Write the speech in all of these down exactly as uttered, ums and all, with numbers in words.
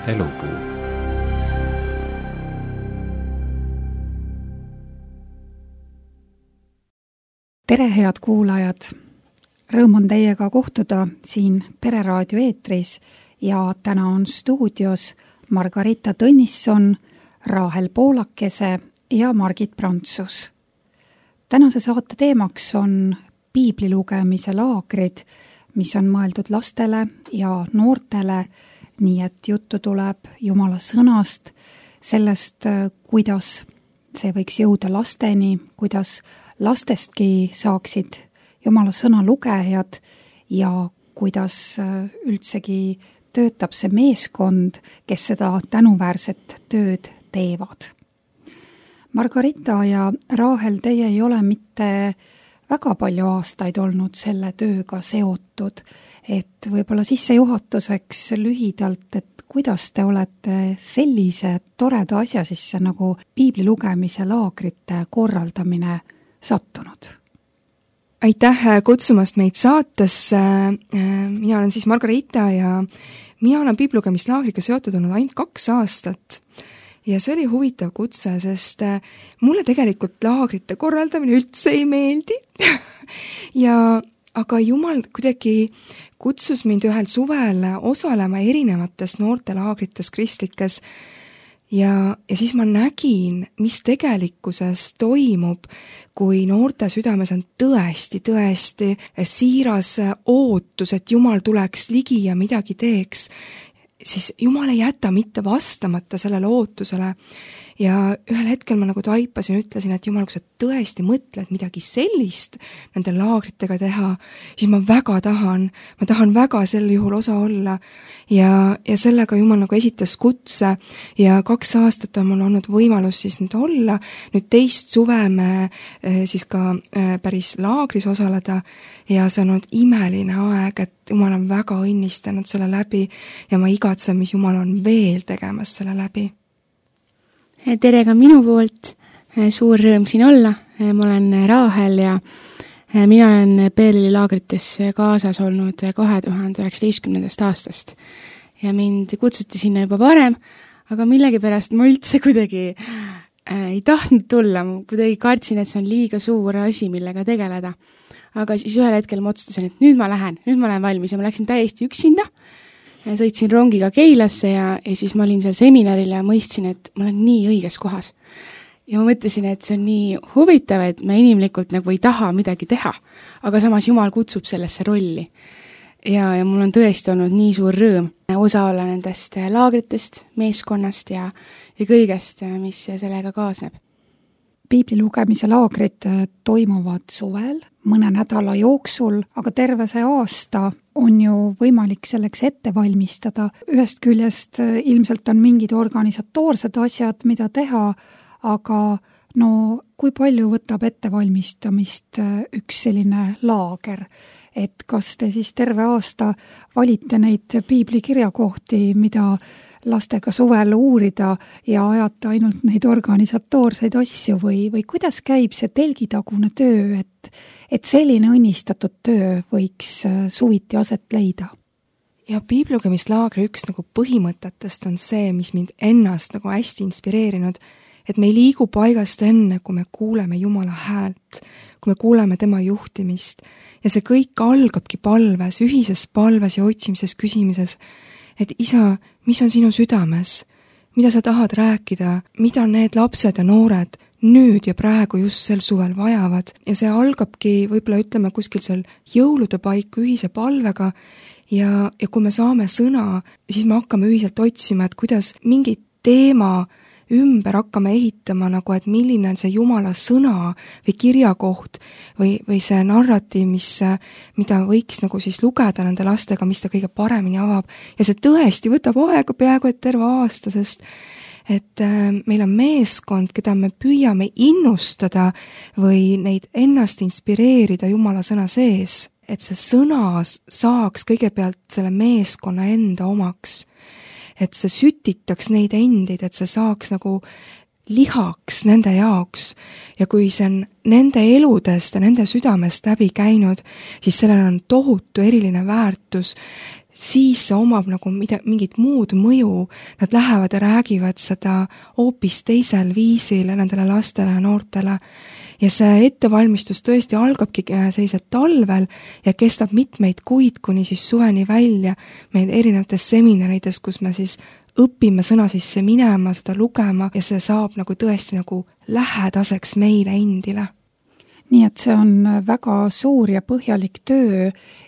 Elupuu. Tere, head kuulajad! Rõõm on teiega kohtuda siin Pereraadio eetris ja täna on stuudios Margarita Tõnisson, Raahel Poolakese ja Margit Prantsus. Tänase saate teemaks on piibli lugemise laagrid, mis on mõeldud lastele ja noortele, nii et juttu tuleb Jumala sõnast, sellest, kuidas see võiks jõuda lasteni, kuidas lastestki saaksid Jumala sõna lugejad ja kuidas üldsegi töötab see meeskond, kes seda tänuväärset tööd teevad. Margarita ja Raahel, teie ei ole mitte väga palju aastaid olnud selle tööga seotud, et võib-olla sissejuhatuseks lühidalt, et kuidas te olete sellise toreda asja sisse nagu piibli lugemise laagrite korraldamine sattunud? Aitäh kutsumast meid saatesse. Mina olen siis Margarita ja mina olen piibli lugemislaagriga seotud olnud ainult kaks aastat. Ja see oli huvitav kutse, sest mulle tegelikult laagrite korraldamine üldse ei meeldi. ja, aga Jumal kuidagi kutsus mind ühel suvel osalema erinevates noortelaagrites kristlikes ja, ja siis ma nägin, mis tegelikkuses toimub, kui noorte südames on tõesti, tõesti siiras ootus, et Jumal tuleks ligi ja midagi teeks, siis Jumal ei jäta mitte vastamata sellele ootusele. Ja ühel hetkel ma nagu taipasin, ütlesin, et Jumal, kui sa tõesti mõtled midagi sellist nende laagritega teha, siis ma väga tahan, ma tahan väga sel juhul osa olla. Ja, ja sellega Jumal nagu esitas kutse ja kaks aastat on mul olnud võimalus siis nüüd olla. Nüüd teist suve me siis ka päris laagris osaleda ja see on olnud imeline aeg, et Jumal on väga õnnistanud selle läbi ja ma igatsen, mis Jumal on veel tegemas selle läbi. Tere ka minu poolt, suur rõõm siin olla, ma olen Raahel ja mina olen P L L-i laagrites kaasas olnud kahe tuhande üheksateistkümnendast aastast ja mind kutsuti sinna juba varem, aga millegipärast ma üldse kuidagi ei tahtnud tulla, ma kuidagi kartsin, et see on liiga suur asi, millega tegeleda. Aga siis ühel hetkel ma otsustasin, et nüüd ma lähen, nüüd ma olen valmis ja ma läksin täiesti üksinda. Sõitsin rongiga Keilasse ja, ja siis ma olin seal seminaril ja mõistsin, et ma olen nii õiges kohas. Ja ma mõtlesin, et see on nii huvitav, et me inimlikult nagu ei taha midagi teha, aga samas Jumal kutsub sellesse rolli. Ja, ja mul on tõesti olnud nii suur rõõm osa olla nendest laagritest, meeskonnast ja, ja kõigest, mis sellega kaasneb. Piibli lugemise laagrid toimuvad suvel, mõne nädala jooksul, aga terve see aasta on ju võimalik selleks ette valmistada. Ühest küljest ilmselt on mingid organisatoorsed asjad, mida teha, aga no kui palju võtab ettevalmistamist üks selline laager? Et kas te siis terve aasta valite neid piibli kirjakohti, mida lastega suvel uurida ja ajata ainult neid organisatoorseid asju või, või kuidas käib see telgitagune töö, et, et selline õnnistatud töö võiks suviti aset leida? Ja piiblugemislaagri üks nagu põhimõtetest on see, mis mind ennast nagu hästi inspireerinud, et me ei liigu paigast enne, kui me kuuleme Jumala häält, kui me kuuleme tema juhtimist ja see kõik algabki palves, ühises palves ja otsimises küsimises, et isa, mis on sinu südames, mida sa tahad rääkida, mida need lapsed ja noored nüüd ja praegu just sel suvel vajavad ja see algabki võib-olla ütleme kuskil seal jõulude paiku ühise palvega ja, ja kui me saame sõna, siis me hakkame ühiselt otsima, et kuidas mingi teema ümber hakkame ehitama nagu, et milline on see Jumala sõna või kirjakoht või, või see narratiiv, mis, mida võiks nagu siis lugeda nende lastega, mis ta kõige paremini avab. Ja see tõesti võtab aega peaaegu et terve aasta, sest et meil on meeskond, keda me püüame innustada või neid ennast inspireerida Jumala sõna sees, et see sõna saaks kõigepealt selle meeskonna enda omaks. Et see sütitaks neid endid, et see saaks nagu lihaks nende jaoks ja kui see on nende eludest ja nende südamest läbi käinud, siis sellel on tohutu eriline väärtus siis see omab nagu mida, mingit muud mõju, nad lähevad ja räägivad seda hoopis teisel viisil nendele lastele ja noortele. Ja see ettevalmistus tõesti algabki sellised talvel ja kestab mitmeid kuid, kuni siis suveni välja meil erinevates seminarides, kus me siis õpime sõna sisse minema, seda lugema ja see saab nagu tõesti nagu lähedaseks meile endile. Nii et see on väga suur ja põhjalik töö,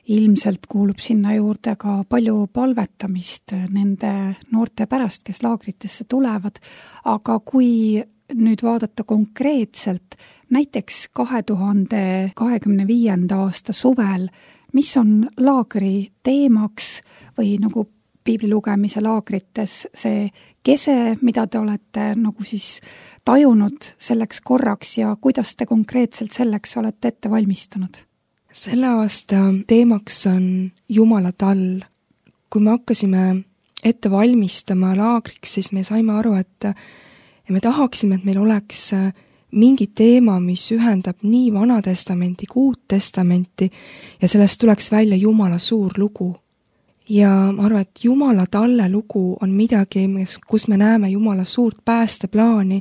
ilmselt kuulub sinna juurde ka palju palvetamist nende noorte pärast, kes laagritesse tulevad, aga kui nüüd vaadata konkreetselt, näiteks kahe tuhande kahekümne viienda aasta suvel, mis on laagri teemaks või nagu piibli lugemise laagrites see kese, mida te olete nagu siis tajunud selleks korraks ja kuidas te konkreetselt selleks olete ette valmistunud? Selle aasta teemaks on Jumala tall. Kui me hakkasime ette valmistama laagriks, siis me saime aru, et me tahaksime, et meil oleks mingi teema, mis ühendab nii Vana Testamenti kui Uut Testamenti ja sellest tuleks välja Jumala suur lugu. Ja ma arvan, et Jumala talle lugu on midagi, kus me näeme Jumala suurt päästeplaani,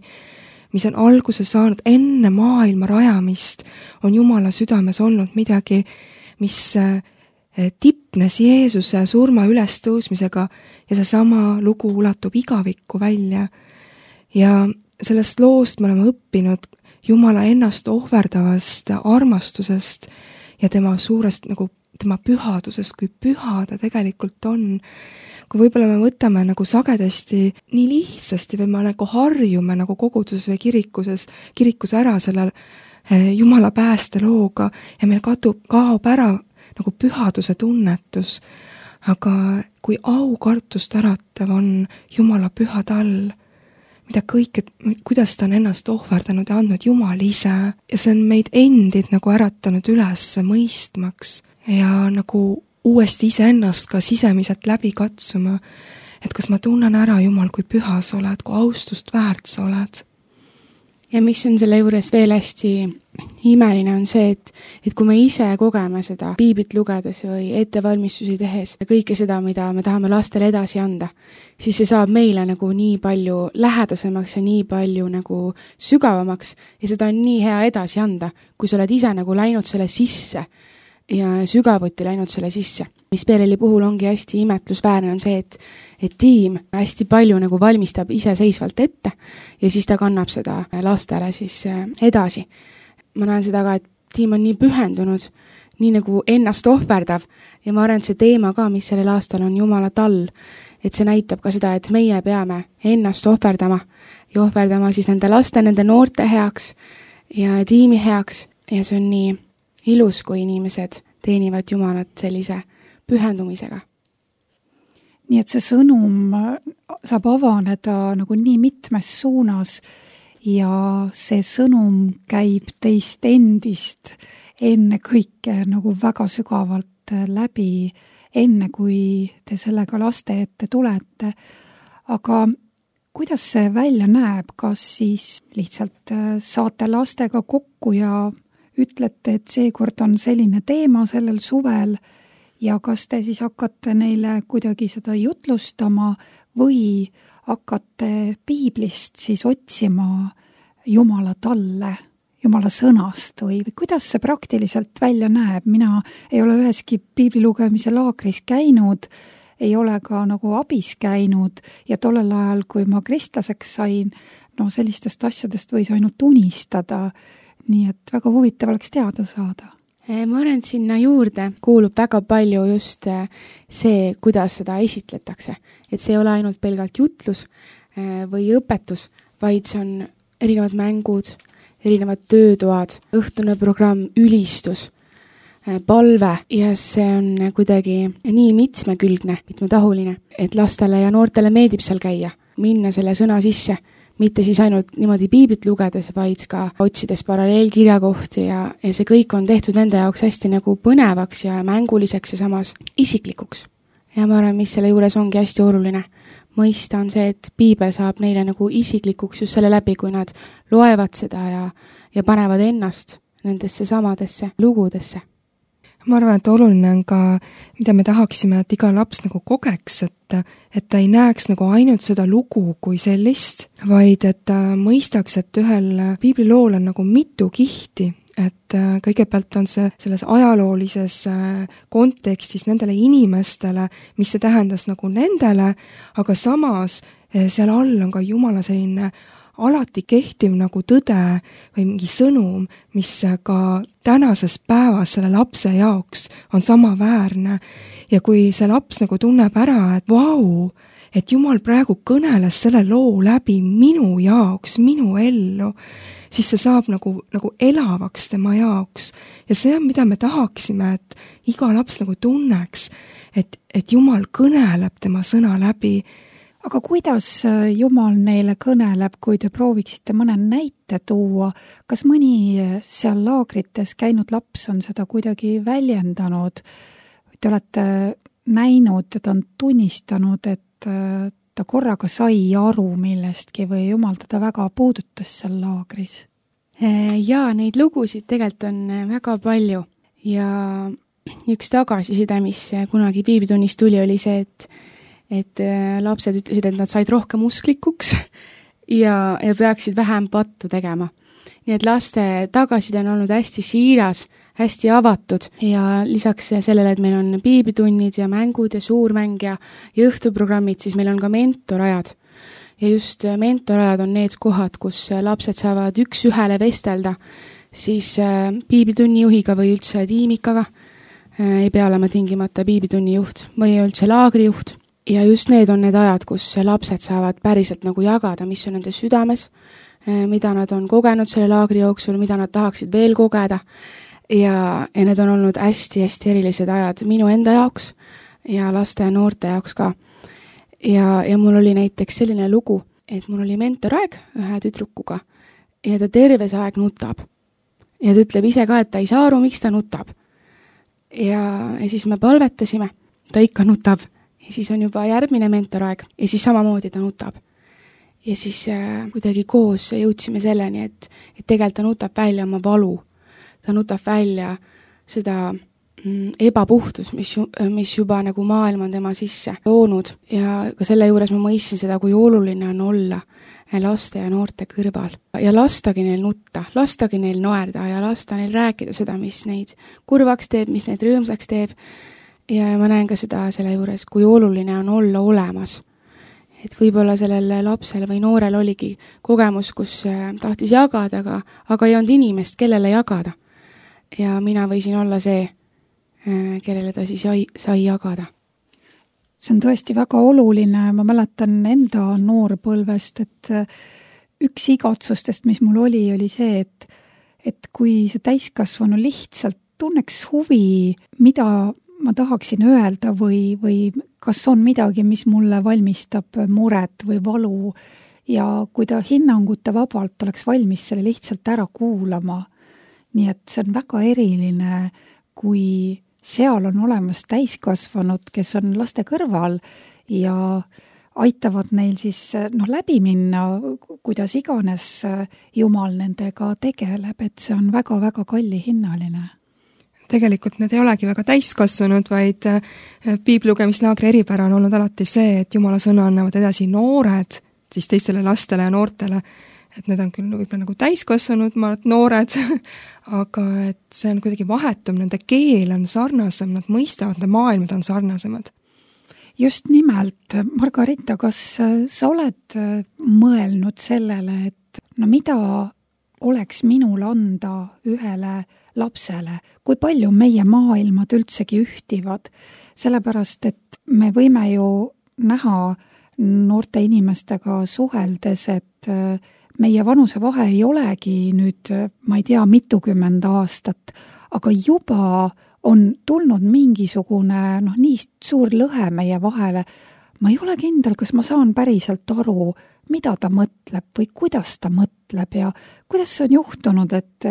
mis on alguse saanud enne maailma rajamist, on Jumala südames olnud midagi, mis tipnes Jeesuse surma ülestõusmisega ja see sama lugu ulatub igavikku välja. Ja sellest loost me oleme õppinud Jumala ennast ohverdavast armastusest ja tema suurest nagu tema pühadusest, kui püha ta tegelikult on. Kui võib-olla me võtame nagu sagedasti nii lihtsasti või me nagu harjume nagu koguduses või kirikuses, kirikus ära selle Jumala päästelooga ja meil katub, kaob ära nagu pühaduse tunnetus. Aga kui aukartust äratav on Jumala püha tall, mida kõike, kuidas ta on ennast ohverdanud ja andnud Jumal ise ja see on meid endid nagu äratanud üles mõistmaks ja nagu uuesti iseennast ka sisemiselt läbi katsuma, et kas ma tunnen ära, Jumal, kui püha sa oled, kui austust väärt sa oled. Ja mis on selle juures veel hästi imeline on see, et, et kui me ise kogeme seda piiblit lugedes või ettevalmistusi tehes ja kõike seda, mida me tahame lastele edasi anda, siis see saab meile nagu nii palju lähedasemaks ja nii palju nagu sügavamaks ja seda on nii hea edasi anda, kui sa oled ise nagu läinud selle sisse ja sügavuti läinud selle sisse. Mis Peeleli puhul ongi hästi imetlusväärne on see, et, et tiim hästi palju nagu valmistab iseseisvalt ette ja siis ta kannab seda lastele siis edasi. Ma näen seda ka, et tiim on nii pühendunud, nii nagu ennast ohverdav ja ma arvan, et see teema ka, mis sellel aastal on Jumala tall, et see näitab ka seda, et meie peame ennast ohverdama ja ohverdama siis nende laste, nende noorte heaks ja tiimi heaks ja see on nii ilus, kui inimesed teenivad Jumalat sellise pühendumisega. Nii et see sõnum saab avaneda nagu nii mitmes suunas ja see sõnum käib teist endist enne kõike nagu väga sügavalt läbi, enne kui te sellega laste ette tulete. Aga kuidas see välja näeb, kas siis lihtsalt saate lastega kokku ja ütlete, et seekord on selline teema sellel suvel ja kas te siis hakkate neile kuidagi seda jutlustama või hakkate piiblist siis otsima Jumala talle, Jumala sõnast või, või kuidas see praktiliselt välja näeb? Mina ei ole üheski piibli lugemise laagris käinud, ei ole ka nagu abis käinud ja tollel ajal, kui ma kristlaseks sain, no sellistest asjadest võis ainult unistada. Nii et väga huvitav oleks teada saada. Ma arvan, et sinna juurde kuulub väga palju just see, kuidas seda esitletakse. Et see ei ole ainult pelgalt jutlus või õpetus, vaid see on erinevad mängud, erinevad töötoad, õhtune programm, ülistus, palve ja see on kuidagi nii mitmekülgne, mitmetahuline, et lastele ja noortele meeldib seal käia, minna selle sõna sisse. Mitte siis ainult niimoodi piiblit lugedes, vaid ka otsides paralleelkirjakohti ja, ja see kõik on tehtud nende jaoks hästi nagu põnevaks ja mänguliseks ja samas isiklikuks. Ja ma arvan, mis selle juures ongi hästi oluline. Mõista on see, et piibel saab neile nagu isiklikuks just selle läbi, kui nad loevad seda ja, ja panevad ennast nendesse samadesse lugudesse. ma arvan, et oluline on ka, mida me tahaksime, et iga laps nagu kogeks, et, et ta ei näeks nagu ainult seda lugu kui sellist, vaid et ta mõistaks, et ühel piiblilool on nagu mitu kihti, et kõigepealt on see selles ajaloolises kontekstis nendele inimestele, mis see tähendas nagu nendele, aga samas seal all on ka Jumala selline alati kehtiv nagu tõde või mingi sõnum, mis ka tänases päevas selle lapse jaoks on samaväärne. Ja kui see laps nagu tunneb ära, et vau, et Jumal praegu kõneles selle loo läbi minu jaoks, minu ellu, siis see saab nagu, nagu elavaks tema jaoks. Ja see on, mida me tahaksime, et iga laps nagu tunneks, et, et Jumal kõneleb tema sõna läbi. Aga kuidas Jumal neile kõneleb, kui te prooviksite mõne näite tuua? Kas mõni seal laagrites käinud laps on seda kuidagi väljendanud? Te olete näinud, et on tunnistanud, et ta korraga sai aru millestki või Jumal teda väga puudutas seal laagris? Jaa, neid lugusid tegelikult on väga palju ja üks tagasiside, mis kunagi piiblitunnis tuli, oli see, et et lapsed ütlesid, et nad said rohkem usklikuks ja, ja peaksid vähem pattu tegema. Nii et laste tagasiside on olnud hästi siiras, hästi avatud ja lisaks sellele, et meil on piiblitunnid ja mängud ja suurmäng ja, ja õhtuprogrammid, siis meil on ka mentorajad. Ja just mentorajad on need kohad, kus lapsed saavad üks ühele vestelda, siis piiblitunni juhiga või üldse tiimikaga, ei pea olema tingimata piiblitunni juht või üldse laagrijuht. Ja just need on need ajad, kus lapsed saavad päriselt nagu jagada, mis on nende südames, mida nad on kogenud selle laagri jooksul, mida nad tahaksid veel kogeda. Ja, ja need on olnud hästi-hästi erilised ajad minu enda jaoks ja laste ja noorte jaoks ka. Ja, ja mul oli näiteks selline lugu, et mul oli mentoraeg ühe tüdrukuga ja ta terve see aeg nutab. Ja ta ütleb ise ka, et ta ei saa aru, miks ta nutab. Ja, ja siis me palvetasime, ta ikka nutab. Ja siis on juba järgmine mentoraeg ja siis samamoodi ta nutab. Ja siis äh, kuidagi koos jõudsime selleni, et, et tegelikult ta nutab välja oma valu. Ta nutab välja seda mm, ebapuhtus, mis, mis juba nagu maailm on tema sisse loonud. Ja ka selle juures ma mõistsin seda, kui oluline on olla laste ja noorte kõrval. Ja lastagi neil nutta, lastagi neil naerda ja lasta neil rääkida seda, mis neid kurvaks teeb, mis neid rõõmsaks teeb. Ja ma näen ka seda selle juures, kui oluline on olla olemas. Et võib-olla sellel lapsel või noorel oligi kogemus, kus tahtis jagada, aga, aga ei olnud inimest, kellele jagada. Ja mina võisin olla see, kellele ta siis sai, sai jagada. See on tõesti väga oluline. Ma mäletan enda noorpõlvest, et üks igatsustest, mis mul oli, oli see, et, et kui see täiskasvanu lihtsalt tunneks huvi, mida ma tahaksin öelda või, või kas on midagi, mis mulle valmistab muret või valu ja kui ta hinnanguta vabalt oleks valmis selle lihtsalt ära kuulama. Nii et see on väga eriline, kui seal on olemas täiskasvanud, kes on laste kõrval ja aitavad neil siis no, läbi minna, kuidas iganes Jumal nendega tegeleb, et see on väga-väga kallihinnaline. Tegelikult need ei olegi väga täiskasvanud, vaid piiblilugemisnaagri eripära on olnud alati see, et Jumala sõna annavad edasi noored, siis teistele lastele ja noortele, et need on küll võib-olla nagu täiskasvanud, ma olen noored, aga et see on kuidagi vahetum, nende keel on sarnasem, nad mõistavad, nende maailmad on sarnasemad. Just nimelt, Margarita, kas sa oled mõelnud sellele, et no mida oleks minul anda ühele lapsele, kui palju meie maailmad üldsegi ühtivad, sellepärast, et me võime ju näha noorte inimestega suheldes, et meie vanusevahe ei olegi nüüd, ma ei tea, mitukümmend aastat, aga juba on tulnud mingisugune noh, nii suur lõhe meie vahele. Ma ei ole kindel, kas ma saan päriselt aru, mida ta mõtleb või kuidas ta mõtleb ja kuidas see on juhtunud, et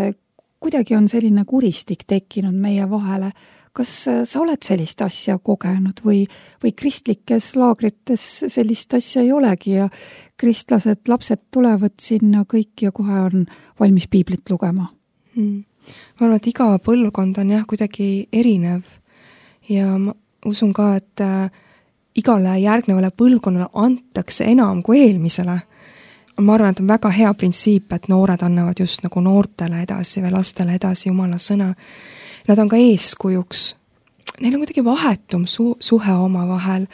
kuidagi on selline kuristik tekkinud meie vahele. Kas sa oled sellist asja kogenud või, või kristlikes laagrites sellist asja ei olegi ja kristlased lapsed tulevad sinna kõik ja kohe on valmis piiblit lugema? Hmm. ma arvan, et iga põlvkond on jah kuidagi erinev ja ma usun ka, et äh, igale järgnevale põlvkonnale antakse enam kui eelmisele. Ma arvan, et on väga hea printsiip, et noored annavad just nagu noortele edasi või lastele edasi Jumala sõna. Nad on ka eeskujuks. Neil on kuidagi vahetum su- suhe oma vahel,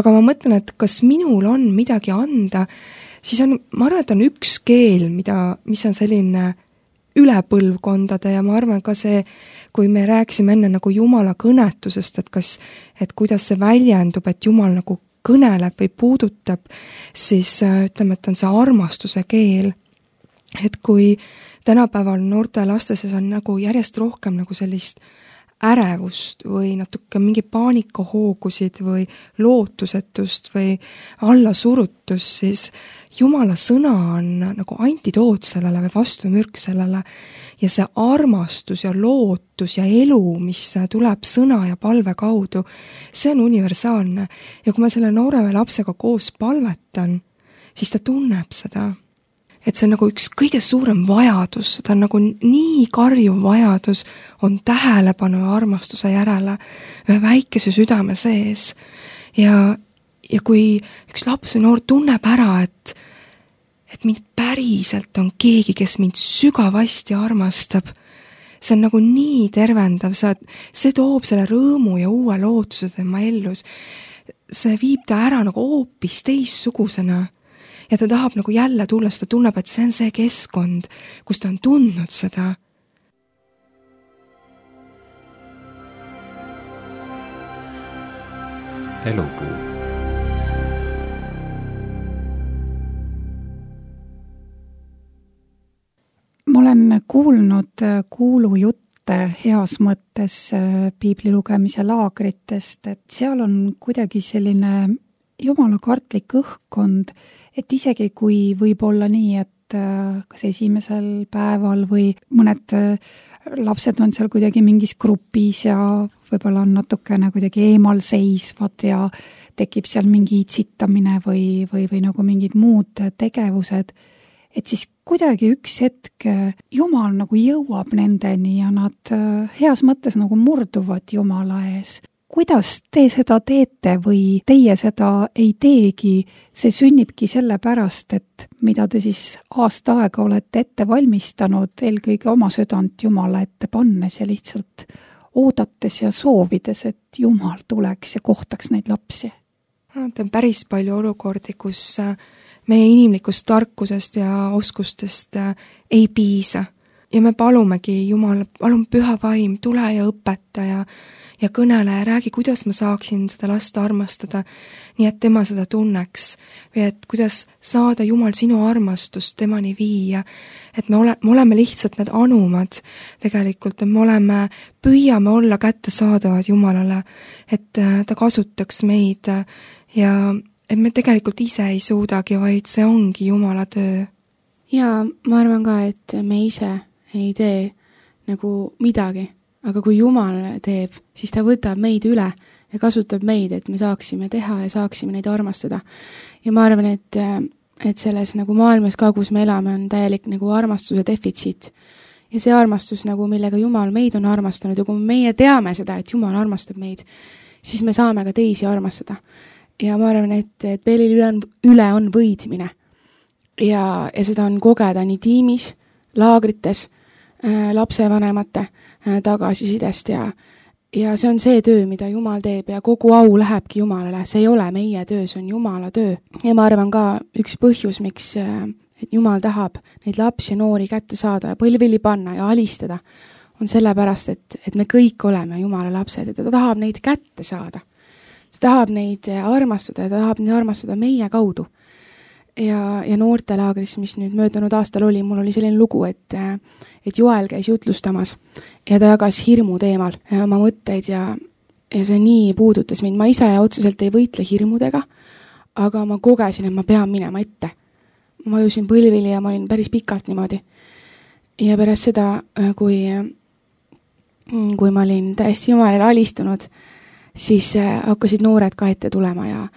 aga ma mõtlen, et kas minul on midagi anda, siis on, ma arvan, et on üks keel, mida, mis on selline üle põlvkondade ja ma arvan ka see, kui me rääksime enne nagu Jumala kõnetusest, et kas, et kuidas see väljendub, et Jumal nagu kõneleb või puudutab, siis ütleme, et on see armastuse keel. Et kui tänapäeval noorte laste sees on nagu järjest rohkem nagu sellist ärevust või natuke mingi paanikahoogusid või lootusetust või allasurutust, siis Jumala sõna on nagu antidoot sellele või vastumürk sellele ja see armastus ja lootus ja elu, mis tuleb sõna ja palve kaudu, see on universaalne. Ja kui ma selle noore või lapsega koos palvetan, siis ta tunneb seda. Et see on nagu üks kõige suurem vajadus, ta on nagu nii karjuv vajadus, on tähelepanu ja armastuse järele ühe väikese südame sees. Ja, ja kui üks laps või noor tunneb ära, et, et mind päriselt on keegi, kes mind sügavasti armastab, see on nagu nii tervendav, see toob selle rõõmu ja uue lootuse tema ellus. See viib ta ära nagu hoopis teissugusena. Ja ta tahab nagu jälle tulla, ta tunneb, et see on see keskkond, kus ta on tundnud seda. Elupuu. Ma olen kuulnud kuulujutte heas mõttes piibli lugemise laagritest, et seal on kuidagi selline jumala kartlik õhkkond, et isegi kui võib olla nii, et kas esimesel päeval või mõned lapsed on seal kuidagi mingis grupis ja võib-olla on natukene kuidagi eemal seisvad ja tekib seal mingi itsitamine või, või, või nagu mingid muud tegevused, et siis kuidagi üks hetk Jumal nagu jõuab nendeni ja nad heas mõttes nagu murduvad Jumala ees. Kuidas te seda teete või teie seda ei teegi, see sünnibki sellepärast, et mida te siis aasta aega olete ette valmistanud, eelkõige oma südant Jumala ette pannes ja lihtsalt oodates ja soovides, et Jumal tuleks ja kohtaks neid lapsi? No, on päris palju olukordi, kus meie inimlikust tarkusest ja oskustest ei piisa. Ja me palumegi Jumal, palun püha vaim, tule ja õpeta ja ja kõnele ja räägi, kuidas ma saaksin seda last armastada, nii et tema seda tunneks või et kuidas saada Jumal sinu armastust temani viia, et me, ole, me oleme lihtsalt need anumad tegelikult, et me oleme, püüame olla kättesaadavad Jumalale, et ta kasutaks meid ja et me tegelikult ise ei suudagi, vaid see ongi Jumala töö. Ja ma arvan ka, et me ise ei tee nagu midagi. Aga kui Jumal teeb, siis ta võtab meid üle ja kasutab meid, et me saaksime teha ja saaksime neid armastada. Ja ma arvan, et, et selles nagu maailmas ka, kus me elame, on täielik nagu armastuse defitsiit. Ja see armastus, nagu millega Jumal meid on armastanud ja kui meie teame seda, et Jumal armastab meid, siis me saame ka teisi armastada. Ja ma arvan, et, et Peelil üle on, üle on võidmine. Ja, ja seda on kogeda nii tiimis, laagrites, äh, lapsevanemate tagasisidest ja, ja see on see töö, mida Jumal teeb ja kogu au lähebki Jumalale, see ei ole meie töö, see on Jumala töö. Ja ma arvan ka üks põhjus, miks et Jumal tahab neid lapsi ja noori kätte saada ja põlvili panna ja alistada, on sellepärast, et, et me kõik oleme Jumala lapsed ja ta tahab neid kätte saada. Ta tahab neid armastada ja ta tahab neid armastada meie kaudu. Ja, ja noortelaagris, mis nüüd möödunud aastal oli, mul oli selline lugu, et, et Joel käis jutlustamas ja ta jagas hirmu teemal oma mõtteid ja, ja see nii puudutas mind. Ma ise otseselt ei võitle hirmudega, aga ma kogesin, et ma pean minema ette. Ma vajusin põlvili ja ma olin päris pikalt niimoodi. Ja pärast seda, kui, kui ma olin täiesti Jumalale alistunud, siis hakkasid noored ka ette tulema ja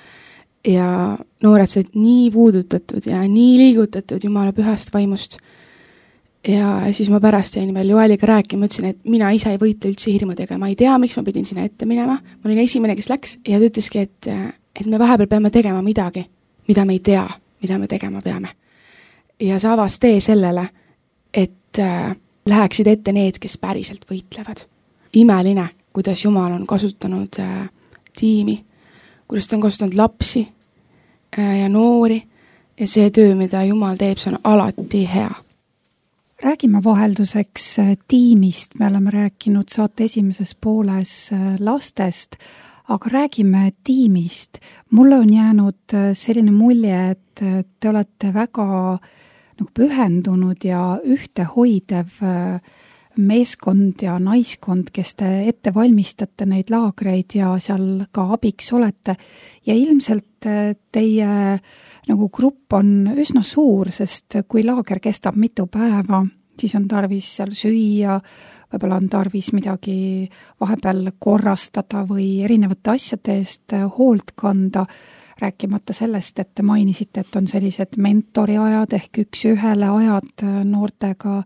ja noored said nii puudutatud ja nii liigutatud Jumala pühast vaimust. ja siis ma pärast jäin veel Joeliga rääkima, ütlesin, et mina ise ei võitle üldse hirmudega, ma ei tea, miks ma pidin sinna ette minema, ma olin esimene, kes läks ja ta ütleski, et, et me vahepeal peame tegema midagi, mida me ei tea, mida me tegema peame. Ja sa avas tee sellele, et äh, läheksid ette need, kes päriselt võitlevad. Imeline, kuidas Jumal on kasutanud äh, tiimi, kuidas ta on kasutanud lapsi äh, ja noori ja see töö, mida Jumal teeb, see on alati hea. Räägime vahelduseks tiimist, me oleme rääkinud saate esimeses pooles lastest, aga räägime tiimist. Mulle on jäänud selline mulje, et te olete väga nagu pühendunud ja ühtehoidev meeskond ja naiskond, kes te ette valmistate neid laagreid ja seal ka abiks olete. Ja ilmselt teie nagu grupp on üsna suur, sest kui laager kestab mitu päeva, siis on tarvis seal süüa, võib-olla on tarvis midagi vahepeal korrastada või erinevate asjade eest hoolt kanda, rääkimata sellest, et te mainisite, et on sellised mentoriajad ehk üks ühele ajad noortega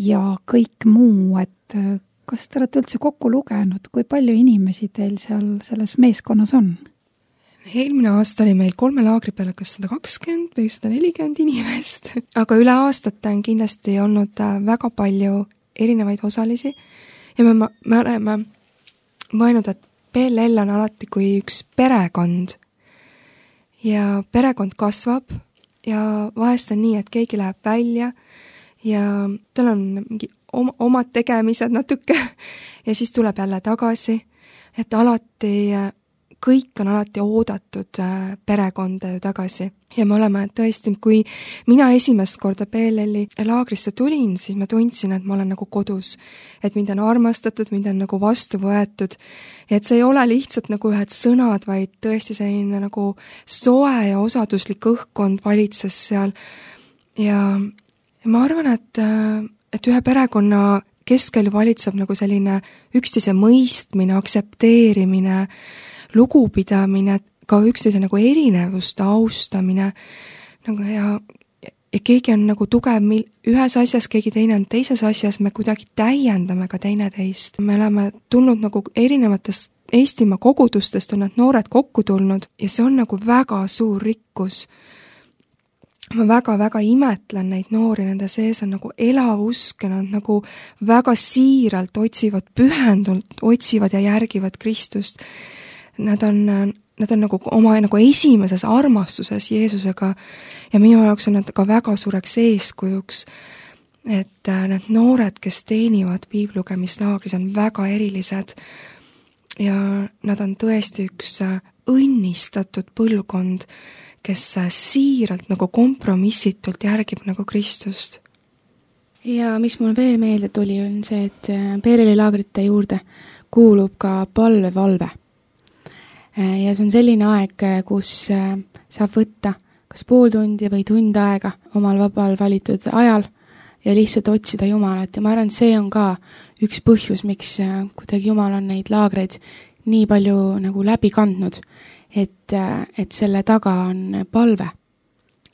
ja kõik muu, et kas te olete üldse kokku lugenud, kui palju inimesi teil seal selles meeskonnas on? Eelmine aasta oli meil kolme laagri peale kas sada kakskümmend või sada nelikümmend inimest, aga üle aastate on kindlasti olnud väga palju erinevaid osalisi ja me, me oleme mõelnud, et P L L on alati kui üks perekond ja perekond kasvab ja vahest on nii, et keegi läheb välja ja tal on mingi omad tegemised natuke ja siis tuleb jälle tagasi, et alati kõik on alati oodatud perekonda ju tagasi. Ja me oleme tõesti, kui mina esimest korda P L L-i laagrisse tulin, siis ma tundsin, et ma olen nagu kodus. Et mind on armastatud, mind on nagu vastu võetud. Et see ei ole lihtsalt nagu ühed sõnad, vaid tõesti selline nagu soe ja osaduslik õhkkond valitses seal. Ja, ja ma arvan, et, et ühe perekonna keskel valitseb nagu selline üksteise mõistmine, aksepteerimine, lugupidamine, ka üksteise nagu erinevuste austamine nagu ja, ja keegi on nagu tugev mil, ühes asjas, keegi teine on teises asjas, me kuidagi täiendame ka teineteist. Me oleme tulnud nagu erinevatest Eestimaa kogudustest, on need noored kokku tulnud ja see on nagu väga suur rikkus. Ma väga-väga imetlen neid noori, nende sees on nagu elav usk ja nad nagu väga siiralt otsivad, pühendult otsivad ja järgivad Kristust. Nad on, nad on nagu oma nagu esimeses armastuses Jeesusega ja minu jaoks on nad ka väga suureks eeskujuks, et need noored, kes teenivad piiblugemislaagris, on väga erilised ja nad on tõesti üks õnnistatud põlvkond, kes siiralt nagu kompromissitult järgib nagu Kristust. Ja mis mul veel meelde tuli, on see, et P L L-i laagrite juurde kuulub ka palvevalve. Ja see on selline aeg, kus saab võtta kas pool tundi või tund aega omal vabal valitud ajal ja lihtsalt otsida Jumalat. Ja ma arvan, see on ka üks põhjus, miks kuidagi Jumal on neid laagreid nii palju nagu läbi kandnud, et, et selle taga on palve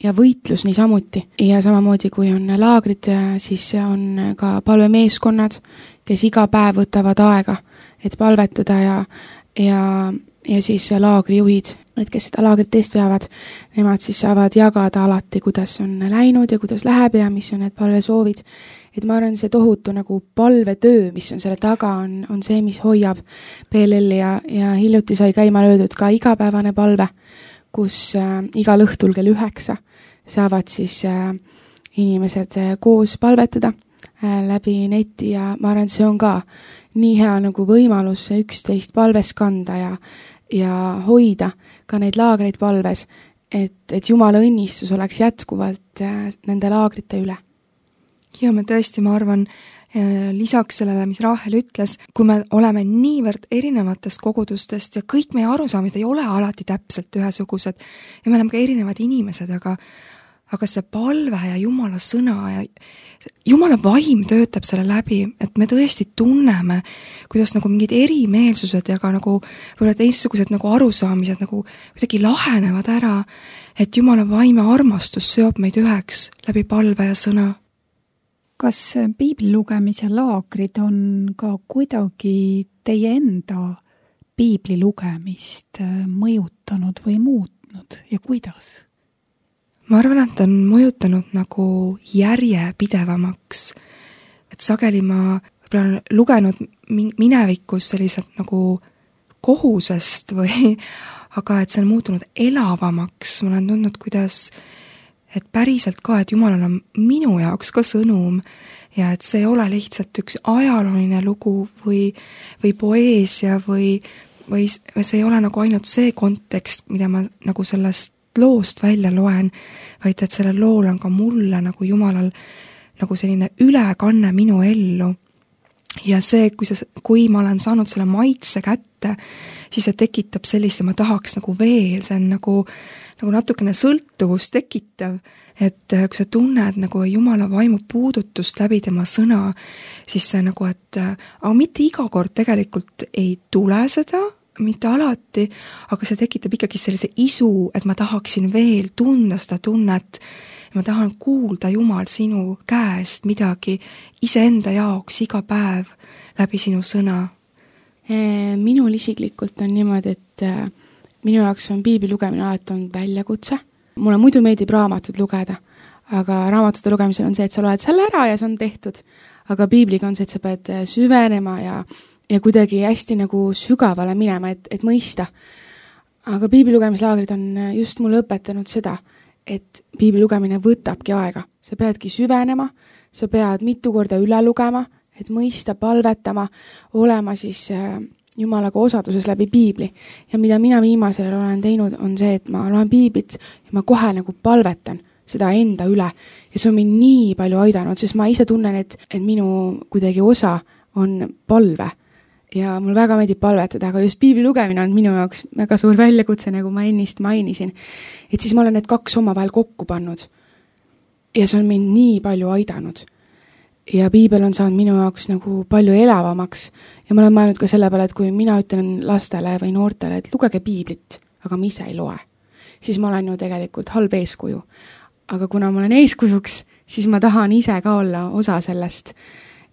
ja võitlus niisamuti. Ja samamoodi, kui on laagrid, siis on ka palvemeeskonnad, kes iga päev võtavad aega, et palvetada ja, ja ja siis laagrijuhid, et kes seda laagrit eest veavad, nemad siis saavad jagada alati, kuidas on läinud ja kuidas läheb ja mis on need palvesoovid. Et ma arvan, see tohutu nagu palvetöö, mis on selle taga, on, on see, mis hoiab P L L-i ja, ja hiljuti sai käima löödud ka igapäevane palve, kus äh, igal õhtul kell üheksa saavad siis äh, inimesed äh, koos palvetada äh, läbi neti ja ma arvan, see on ka nii hea nagu võimalus üksteist palves kanda ja, ja hoida ka neid laagreid palves, et, et Jumala õnnistus oleks jätkuvalt nende laagrite üle. Ja me tõesti, ma arvan, lisaks sellele, mis Rahel ütles, kui me oleme niivõrd erinevatest kogudustest ja kõik meie arusaamised ei ole alati täpselt ühesugused ja me oleme ka erinevad inimesed, aga, aga see palve ja Jumala sõna ja Jumala vaim töötab selle läbi, et me tõesti tunneme, kuidas nagu mingid erimeelsused ja ka nagu võib-olla teistsugused nagu arusaamised nagu kuidagi lahenevad ära, et Jumala vaim ja armastus seob meid üheks läbi palve ja sõna. Kas piibli lugemise laagrid on ka kuidagi teie enda piibli lugemist mõjutanud või muutnud ja kuidas? Ma arvan, et on mõjutanud nagu järjepidevamaks. Et sageli ma olen lugenud minevikus sellised nagu kohusest või, aga et see on muutunud elavamaks. Ma olen tundnud, kuidas et päriselt ka, et Jumalal on minu jaoks ka sõnum ja et see ei ole lihtsalt üks ajalooline lugu või, või poeesia või, või see ei ole nagu ainult see kontekst, mida ma nagu sellest loost välja loen, vaid et sellel lool on ka mulle nagu Jumalal nagu selline ülekanne minu ellu. Ja see, kui, see, kui ma olen saanud selle maitse kätte, siis see tekitab sellist ja ma tahaks nagu veel, see on nagu, nagu natukene sõltuvust tekitav, et kui sa tunned nagu Jumala vaimu puudutust läbi tema sõna, siis see nagu, et aga mitte iga kord tegelikult ei tule seda, mitte alati, aga see tekitab ikkagi sellise isu, et ma tahaksin veel tunda seda tunnet, ma tahan kuulda Jumal sinu käest midagi iseenda jaoks iga päev läbi sinu sõna. Minul isiklikult on niimoodi, et minu jaoks on piibli lugemine alati on väljakutse. Mulle muidu meeldib raamatut lugeda, aga raamatute lugemisel on see, et sa loed selle ära ja see on tehtud. Aga piibliga on see, et sa pead süvenema ja, ja kuidagi hästi nagu sügavale minema, et, et mõista. Aga piibli lugemislaagrid on just mulle õpetanud seda, et piibli lugemine võtabki aega. Sa peadki süvenema, sa pead mitu korda üle lugema, et mõista, palvetama, olema siis Jumalaga osaduses läbi piibli. Ja mida mina viimasel olen teinud, on see, et ma loen piiblit ja ma kohe nagu palvetan seda enda üle. Ja see on mind nii palju aidanud, sest ma ise tunnen, et, et minu kuidagi osa on palve. Ja mul väga meeldib palvetada, aga just piibli lugemine on minu jaoks väga suur väljakutse, nagu ma ennist mainisin. Et siis ma olen need kaks oma vahel kokku pannud. Ja see on mind nii palju aidanud. Ja piibel on saanud minu jaoks nagu palju elavamaks. Ja ma olen mõelnud ka selle peale, et kui mina ütlen lastele või noortele, et lugege piiblit, aga ma ise ei loe, siis ma olen ju tegelikult halb eeskuju. Aga kuna ma olen eeskujuks, siis ma tahan ise ka olla osa sellest,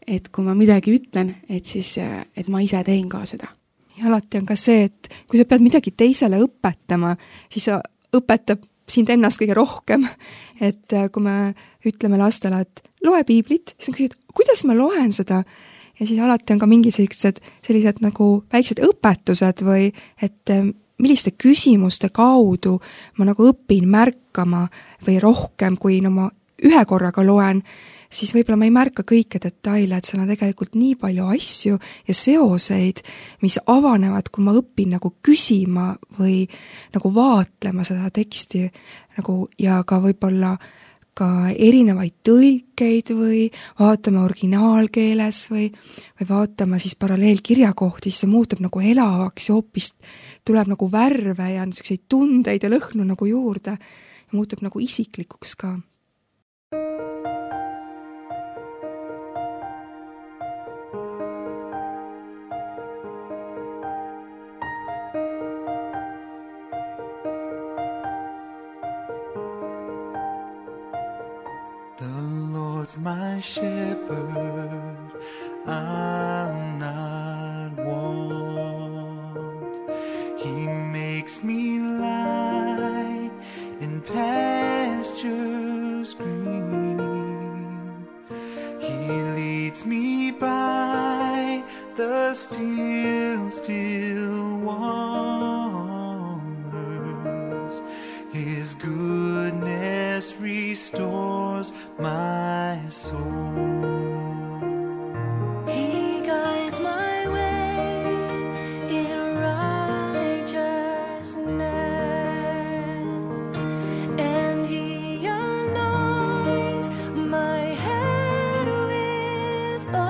et kui ma midagi ütlen, et siis, et ma ise teen ka seda. Ja alati on ka see, et kui sa pead midagi teisele õpetama, siis sa õpetab sind ennast kõige rohkem. Et kui me ütleme lastele, et loe piiblit, siis on küsid, kuidas ma loen seda? Ja siis alati on ka mingi sellised, sellised nagu väiksed õpetused või et milliste küsimuste kaudu ma nagu õpin märkama või rohkem, kui no ma ühe korraga loen, siis võib-olla ma ei märka kõike detaile, et seal on tegelikult nii palju asju ja seoseid, mis avanevad, kui ma õpin nagu küsima või nagu vaatlema seda teksti nagu, ja ka võib-olla ka erinevaid tõlkeid või vaatama originaalkeeles või, või vaatama siis paralleelkirjakohti, siis see muutub nagu elavaks ja hoopis tuleb nagu värve ja niisuguseid tundeid ja lõhnu nagu juurde ja muutub nagu isiklikuks ka. My shepherd, I'll not want. He makes me lie in pastures green. He leads me by the still, still waters. His goodness restores my soul. He guides my way in righteousness, and he anoints my head with oil,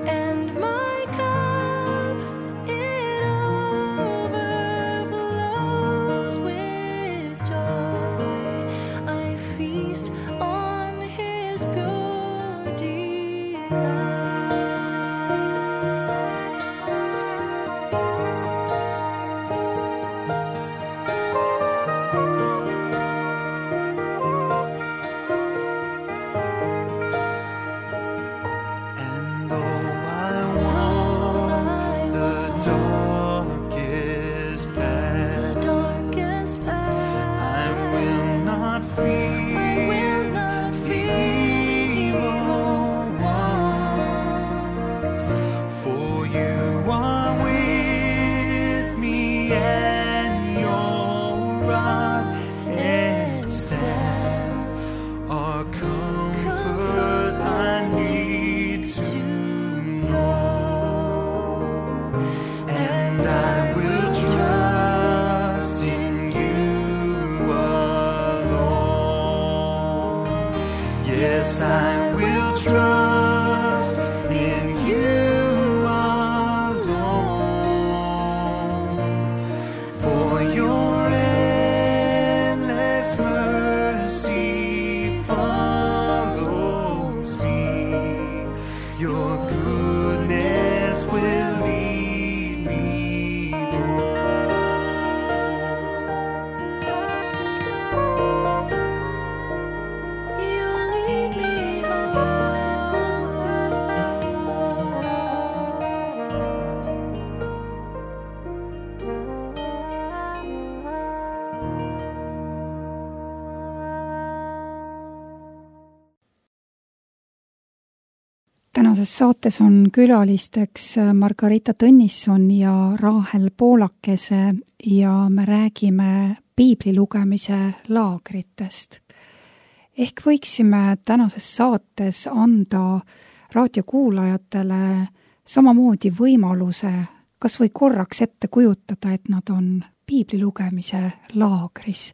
and my cup it overflows with joy. I feast on will trust in you alone, for your endless mercy follows me. Your goodness will lead me You'll lead me tänases saates on külalisteks Margarita Tõnisson ja Raahel Poolakese ja me räägime piibli lugemise laagritest. Ehk võiksime tänases saates anda raadiokuulajatele samamoodi võimaluse kas või korraks ette kujutada, et nad on piibli lugemise laagris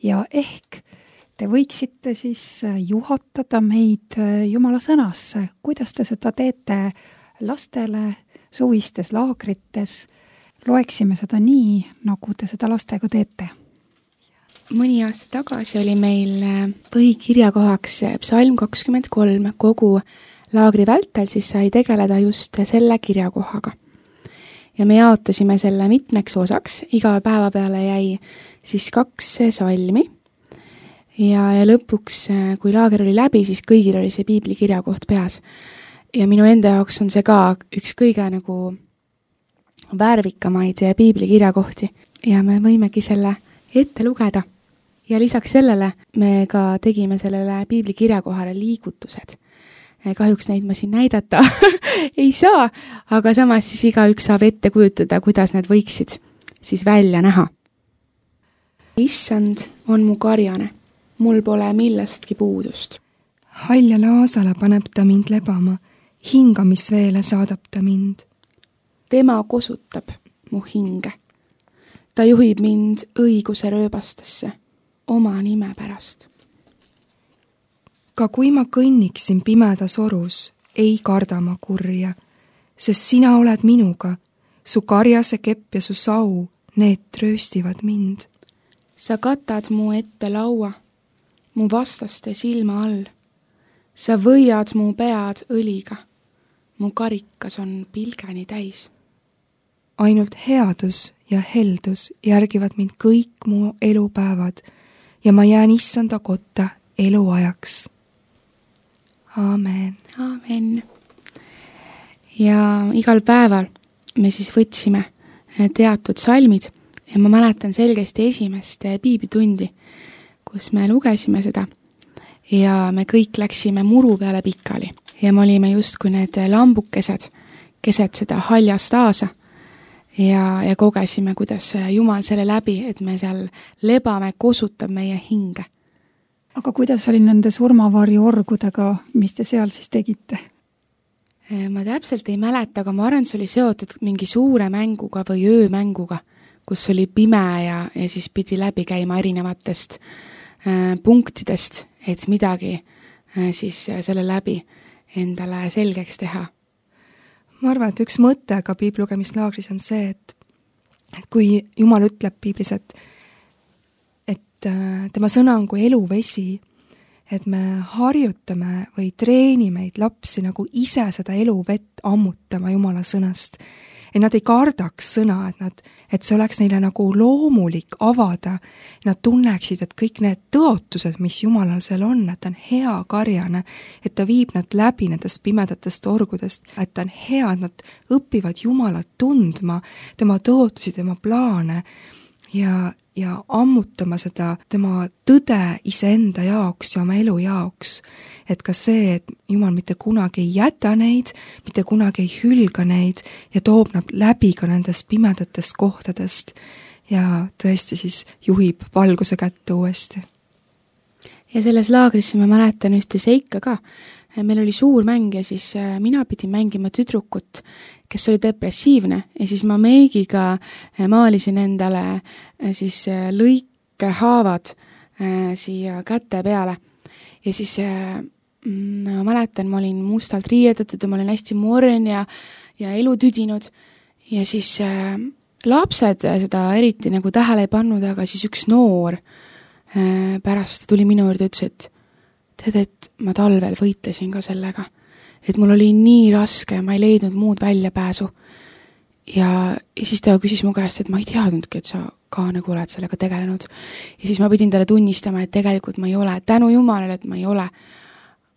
ja ehk te võiksite siis juhatada meid Jumala sõnasse. Kuidas te seda teete lastele suvistes laagrites? Loeksime seda nii, nagu te seda lastega teete. Mõni aasta tagasi oli meil põhikirjakohaks psalm kakskümmend kolm. Kogu laagri vältel siis sai tegeleda just selle kirjakohaga. Ja me jaotasime selle mitmeks osaks. Iga päeva peale jäi siis kaks salmi. Ja, ja lõpuks, kui laager oli läbi, siis kõigil oli see piibli kirjakoht peas. Ja minu enda jaoks on see ka üks kõige nagu värvikamaid piibli kirjakohti. Ja me võimegi selle ette lugeda. Ja lisaks sellele me ka tegime sellele piibli kirjakohale liigutused. Kahjuks neid ma siin näidata ei saa, aga samas siis igaüks saab ette kujutada, kuidas need võiksid siis välja näha. Issand on mu karjane. Mul pole millestki puudust. Halja laasale paneb ta mind lebama, hingamisveele saadab ta mind. Tema kosutab mu hinge. Ta juhib mind õiguse rööbastesse, oma nime pärast. Ka kui ma kõnniksin pimedas orus, ei karda ma kurja, sest sina oled minuga, su karjase kepp ja su sau, need trööstivad mind. Sa katad mu ette laua, mu vastaste silma all. Sa võiad mu pead õliga. Mu karikas on pilgeni täis. Ainult headus ja heldus järgivad mind kõik mu elupäevad ja ma jään issanda kotta eluajaks. Aamen. Aamen. Ja igal päeval me siis võtsime teatud salmid ja ma mäletan selgesti esimest piiblitundi, kus me lugesime seda ja me kõik läksime muru peale pikali ja me olime just kui need lambukesed keset seda haljast aasa ja, ja kogesime, kuidas Jumal selle läbi, et me seal lebame, kosutab meie hinge. Aga kuidas oli nende surmavarju orgudega, mis te seal siis tegite? Ma täpselt ei mäleta, aga ma arvan, see oli seotud mingi suure mänguga või öömänguga, kus oli pime ja, ja siis pidi läbi käima erinevatest äh, punktidest, et midagi äh, siis selle läbi endale selgeks teha. Ma arvan, et üks mõte ka piiblugemislaagris on see, et, et kui Jumal ütleb piiblis, et, et äh, tema sõna on kui eluvesi, et me harjutame või treeni meid lapsi nagu ise seda eluvett ammutama Jumala sõnast. Et nad ei kardaks sõna, et, nad, et see oleks neile nagu loomulik avada. Nad tunneksid, et kõik need tõotused, mis Jumalal seal on, et ta on hea karjane, et ta viib nad läbi nendest pimedatest orgudest, et ta on hea, et nad õpivad Jumalat tundma, tema tõotusi, tema plaane ja, ja ammutama seda tema tõde iseenda jaoks ja oma elu jaoks. Et ka see, et Jumal mitte kunagi ei jäta neid, mitte kunagi ei hülga neid ja toob nad läbi ka nendest pimedatest kohtadest ja tõesti siis juhib valguse kätte uuesti. Ja selles laagrisse ma mäletan ühte seika ka. Meil oli suur mäng ja siis mina pidin mängima tüdrukut, kes oli depressiivne ja siis ma meigiga maalisin endale siis lõike haavad siia käte peale ja siis ma mäletan, ma olin mustalt riietatud ja ma olin hästi morn ja, ja elu tüdinud ja siis äh, lapsed seda eriti nagu tähele ei pannud, aga siis üks noor äh, pärast tuli minu juurde ja ütles, et tead, et ma talvel võitlesin ka sellega, et mul oli nii raske ja ma ei leidnud muud väljapääsu. Ja, ja siis ta küsis mu käest, et ma ei teadnudki, et sa ka nagu oled sellega tegelenud. Ja siis ma pidin talle tunnistama, et tegelikult ma ei ole, tänu Jumalale, et ma ei ole.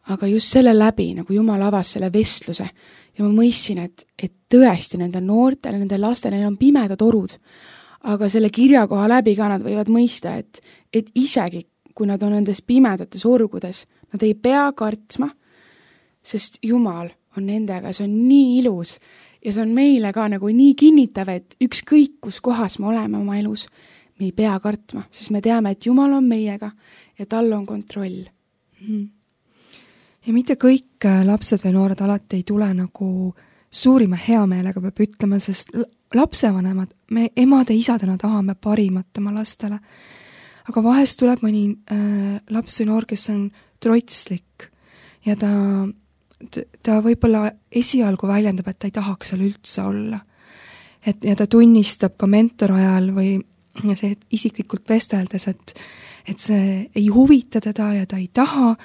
Aga just selle läbi, nagu Jumal avas selle vestluse ja ma mõistsin, et, et tõesti nende noortele, nende lastele, neil on pimedad orud, aga selle kirjakoha läbi ka nad võivad mõista, et, et isegi kui nad on nendes pimedates orgudes, nad ei pea kartma, sest Jumal on nendega, see on nii ilus ja see on meile ka nagu nii kinnitav, et ükskõik kus kohas me oleme oma elus, me ei pea kartma, sest me teame, et Jumal on meiega ja tal on kontroll. Mm. Ja mitte kõik lapsed või noored alati ei tule nagu suurima heameelega, peab ütlema, sest lapsevanemad, me emade-isadena tahame parimat oma lastele. Aga vahest tuleb mõni äh, laps või noor, kes on trotslik ja ta, ta võib-olla esialgu väljendab, et ta ei tahaks seal üldse olla. Et, ja ta tunnistab ka mentor ajal või see isiklikult vesteldes, et, et see ei huvita teda ja ta ei taha,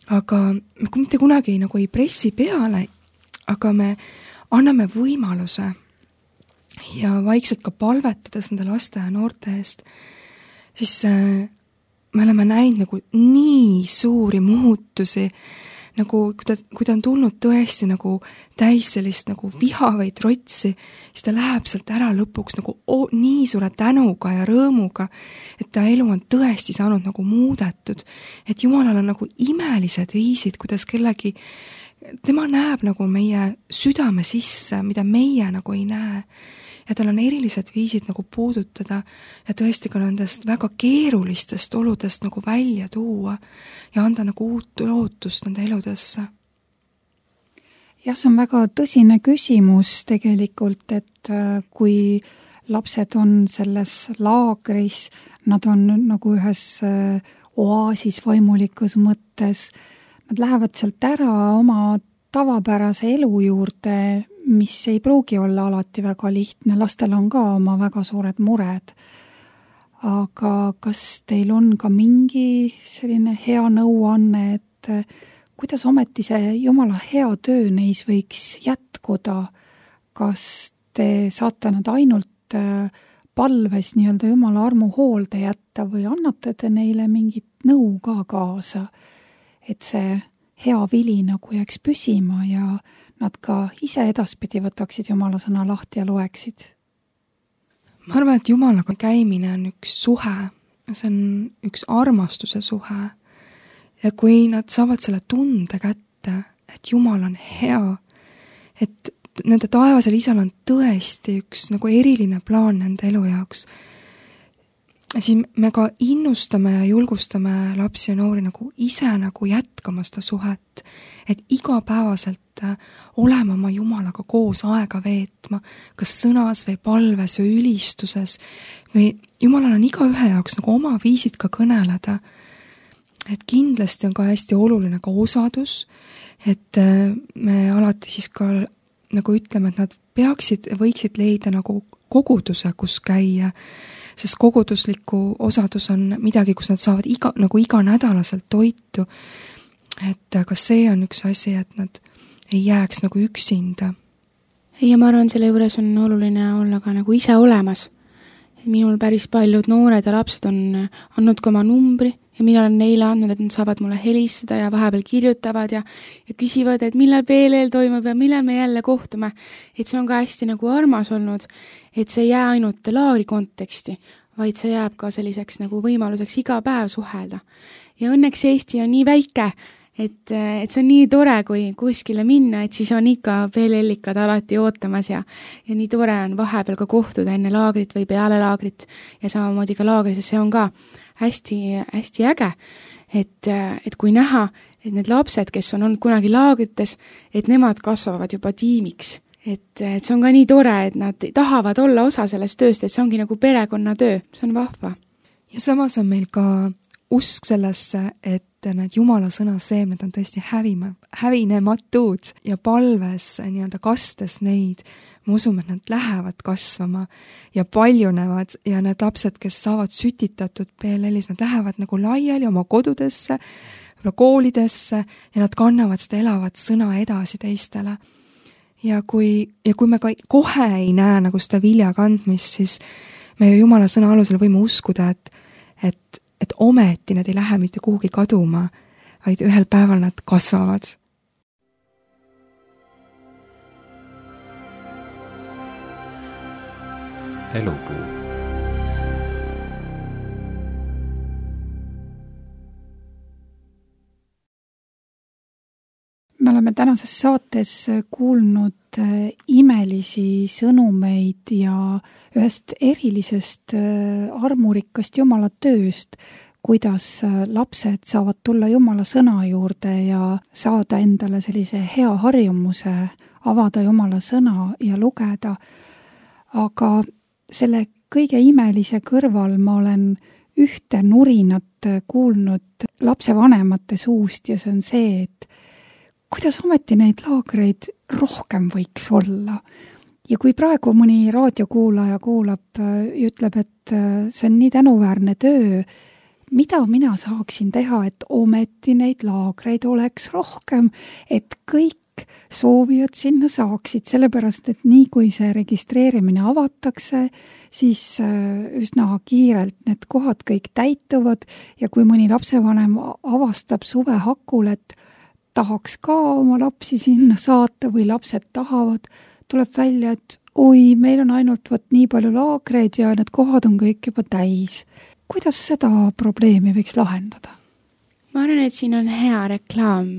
aga me mitte kunagi nagu ei pressi peale, aga me anname võimaluse ja vaikselt ka palvetades nende laste ja noorte eest, siis äh, me oleme näinud nagu nii suuri muutusi, nagu kui ta, kui ta on tulnud tõesti nagu täis sellist nagu viha või trotsi, siis ta läheb sealt ära lõpuks nagu o, nii suure tänuga ja rõõmuga, et ta elu on tõesti saanud nagu muudetud, et Jumalal on nagu imelised viisid, kuidas kellegi, tema näeb nagu meie südame sisse, mida meie nagu ei näe. Ja tal on erilised viisid nagu puudutada ja tõesti ka nendest väga keerulistest oludest nagu välja tuua ja anda nagu uut lootust nende eludesse. Jah, see on väga tõsine küsimus tegelikult, et kui lapsed on selles laagris, nad on nagu ühes oaasis vaimulikus mõttes, nad lähevad sealt ära oma tavapärase elu juurde, mis ei pruugi olla alati väga lihtne, lastel on ka oma väga suured mured. Aga kas teil on ka mingi selline hea nõuanne, et kuidas ometi see Jumala hea töö neis võiks jätkuda? Kas te saate nad ainult palves nii-öelda Jumala armu hoolde jätta või annate te neile mingit nõu ka kaasa, et see hea vili nagu jääks püsima ja nad ka ise edaspidi võtaksid Jumala sõna lahti ja loeksid? Ma arvan, et Jumalaga käimine on üks suhe, see on üks armastuse suhe. Ja kui nad saavad selle tunde kätte, et Jumal on hea, et nende taevasel isal on tõesti üks nagu eriline plaan nende elu jaoks, siis me ka innustame ja julgustame lapsi ja noori nagu ise nagu jätkama seda suhet, et igapäevaselt olema oma Jumalaga koos aega veetma, kas sõnas või palves või ülistuses. Või Jumalal on iga ühe jaoks nagu oma viisid ka kõneleda. Et kindlasti on ka hästi oluline ka osadus, et me alati siis ka nagu ütleme, et nad peaksid, võiksid leida nagu koguduse, kus käia, sest kogudusliku osadus on midagi, kus nad saavad iga, nagu iga nädalaselt toitu. Et ka see on üks asi, et nad ei jääks nagu üksinda. Ja ma arvan, selle juures on oluline olla ka nagu ise olemas. Minul päris paljud noored ja lapsed on andnud ka oma numbri ja mina olen neile andnud, et nad saavad mulle helistada ja vahepeal kirjutavad ja, ja küsivad, et millal P L L toimub ja millal me jälle kohtume. Et see on ka hästi nagu armas olnud, et see ei jää ainult laagri konteksti, vaid see jääb ka selliseks nagu võimaluseks iga päev suhelda. Ja õnneks Eesti on nii väike, et, et see on nii tore, kui kuskile minna, et siis on ikka P L L-ikad alati ootamas ja, ja nii tore on vahepeal ka kohtuda enne laagrit või peale laagrit ja samamoodi ka laagris, see on ka hästi, hästi äge, et, et kui näha, et need lapsed, kes on olnud kunagi laagrites, et nemad kasvavad juba tiimiks. Et, et see on ka nii tore, et nad tahavad olla osa sellest tööst, et see ongi nagu perekonnatöö, see on vahva. Ja samas on meil ka usk sellesse, et need Jumala sõna seemned on tõesti hävima, hävinematud ja palves nii-öelda kastes neid, me usume, et nad lähevad kasvama ja paljunevad ja need lapsed, kes saavad sütitatud P L L-is, nad lähevad nagu laiali oma kodudesse, koolidesse ja nad kannavad seda elavat sõna edasi teistele. Ja kui, ja kui me ka kohe ei näe nagu seda vilja kandmist, siis me ju Jumala sõna alusel võime uskuda, et, et, et ometi nad ei lähe mitte kuhugi kaduma, vaid ühel päeval nad kasvavad. Elupuu. Me oleme tänases saates kuulnud imelisi sõnumeid ja ühest erilisest armurikkast Jumala tööst, kuidas lapsed saavad tulla Jumala sõna juurde ja saada endale sellise hea harjumuse, avada Jumala sõna ja lugeda. Aga selle kõige imelise kõrval ma olen ühte nurinat kuulnud lapsevanemate suust ja see on see, et kuidas ometi neid laagreid rohkem võiks olla. Ja kui praegu mõni raadiokuulaja kuulab ja ütleb, et see on nii tänuväärne töö, mida mina saaksin teha, et ometi neid laagreid oleks rohkem, et kõik soovijad sinna saaksid, sellepärast, et nii kui see registreerimine avatakse, siis üsna kiirelt need kohad kõik täituvad ja kui mõni lapsevanem avastab suve hakul, et tahaks ka oma lapsi sinna saata või lapsed tahavad, tuleb välja, et oi, meil on ainult võt nii palju laagreid ja need kohad on kõik juba täis. Kuidas seda probleemi võiks lahendada? Ma arvan, et siin on hea reklaam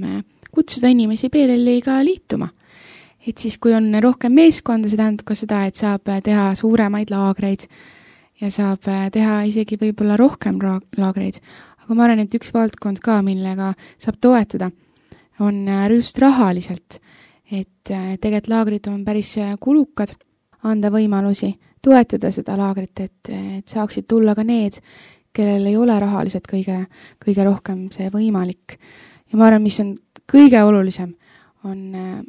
kutsuda inimesi P L L-iga liituma. Et siis, kui on rohkem meeskonda, see tähendab ka seda, et saab teha suuremaid laagreid ja saab teha isegi võib-olla rohkem laagreid. Aga ma arvan, et üks valdkond ka, millega saab toetada, on just rahaliselt. Et tegelikult laagrid on päris kulukad, anda võimalusi toetada seda laagrit, et, et saaksid tulla ka need, kellel ei ole rahaliselt kõige, kõige rohkem see võimalik. Ja ma arvan, mis on kõige olulisem, on,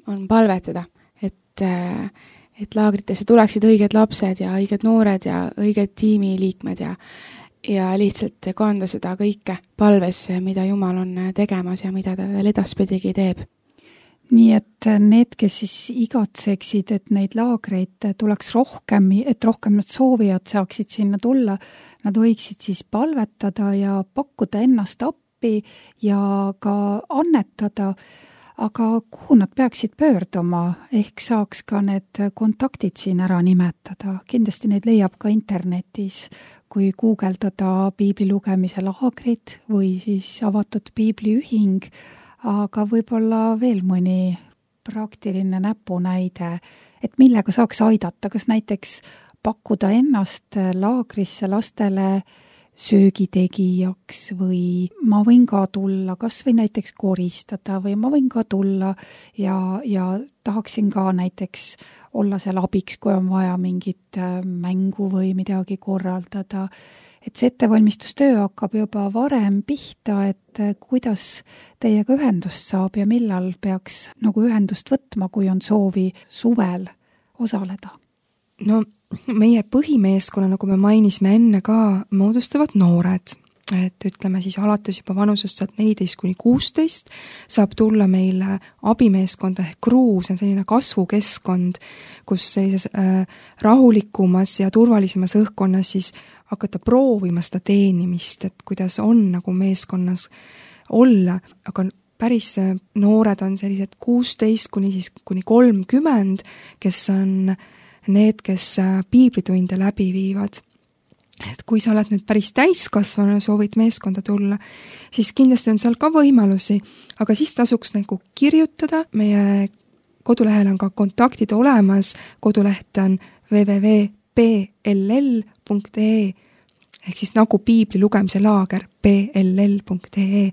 on palvetada, et, et laagritesse tuleksid õiged lapsed ja õiged noored ja õiged tiimiliikmed ja, ja lihtsalt kanda seda kõike palves, mida Jumal on tegemas ja mida ta veel edaspidigi teeb. Nii et need, kes siis igatseksid, et neid laagreid tuleks rohkem, et rohkem need soovijad saaksid sinna tulla, nad võiksid siis palvetada ja pakkuda ennast appi ja ka annetada, aga kuhu nad peaksid pöörduma, ehk saaks ka need kontaktid siin ära nimetada. Kindlasti neid leiab ka internetis, kui guugeldada piibli lugemise laagrid või siis avatud piibliühing, aga võib-olla veel mõni praktiline näpunäide, et millega saaks aidata, kas näiteks pakkuda ennast laagrisse lastele söögitegijaks või ma võin ka tulla, kas või näiteks koristada või ma võin ka tulla ja, ja tahaksin ka näiteks olla seal abiks, kui on vaja mingit mängu või midagi korraldada. Et see ettevalmistustöö hakkab juba varem pihta, et kuidas teiega ühendust saab ja millal peaks nagu ühendust võtma, kui on soovi suvel osaleda? No meie põhimeeskonna, nagu me mainisime enne ka, moodustavad noored. Et ütleme siis alates juba vanusest saad neliteist kuni kuusteist saab tulla meile abimeeskonda ehk kruu, see on selline kasvukeskkond, kus sellises äh, rahulikumas ja turvalisemas õhkkonnas siis hakata proovima seda teenimist, et kuidas on nagu meeskonnas olla, aga päris noored on sellised kuusteist kuni siis kuni kolmkümmend, kes on need, kes piiblitunde läbi viivad. Et kui sa oled nüüd päris täiskasvanu ja soovid meeskonda tulla, siis kindlasti on seal ka võimalusi, aga siis tasuks nagu kirjutada. Meie kodulehel on ka kontaktid olemas, koduleht on w w w punkt p l l punkt e ehk siis nagu piibli lugemise laager p l l punkt e,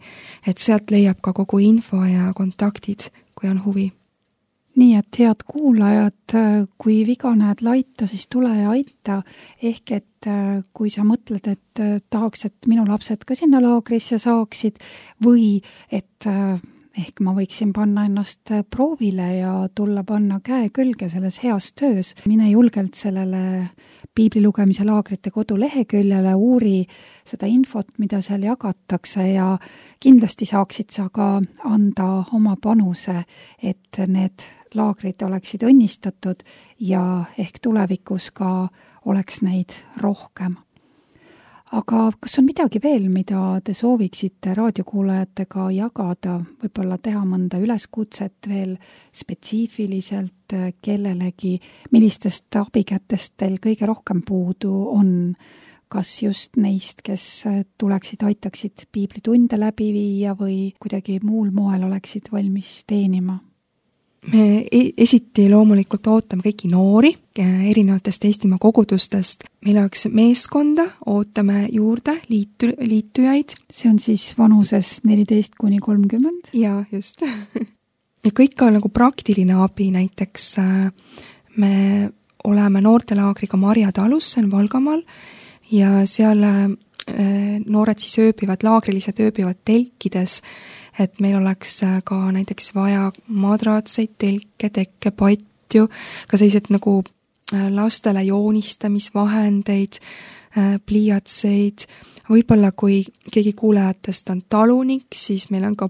et sealt leiab ka kogu info ja kontaktid, kui on huvi. nii et head kuulajad, kui viga näed laita, siis tule ja aita. Ehk et kui sa mõtled, et tahaks, et minu lapsed ka sinna laagrisse saaksid või et ehk ma võiksin panna ennast proovile ja tulla panna käe külge selles heas töös, mine julgelt sellele piibli lugemise laagrite koduleheküljele, uuri seda infot, mida seal jagatakse ja kindlasti saaksid sa ka anda oma panuse, et need laagrid oleksid õnnistatud ja ehk tulevikus ka oleks neid rohkem. Aga kas on midagi veel, mida te sooviksite raadiokuulajatega jagada, võib-olla teha mõnda üleskutset veel spetsiifiliselt kellelegi, millistest abikätest teil kõige rohkem puudu on? Kas just neist, kes tuleksid, aitaksid piiblitunde läbi viia või kuidagi muul moel oleksid valmis teenima? Me esiti loomulikult ootame kõiki noori erinevatest Eestimaa kogudustest. Meil oleks meeskonda, ootame juurde liitu, liitujaid. See on siis vanuses neliteist kuni kolmkümmend? Jaa, just. Ja kõik ka nagu praktiline abi, näiteks me oleme noortelaagriga Marja talus, see on Valgamaal, ja seal noored siis ööbivad, laagrilised ööbivad telkides, et meil oleks ka näiteks vaja madraatseid, telke, tekke, patju, ka sellised nagu lastele joonistamisvahendeid, pliiatseid. Võib-olla kui keegi kuulajatest on talunik, siis meil on ka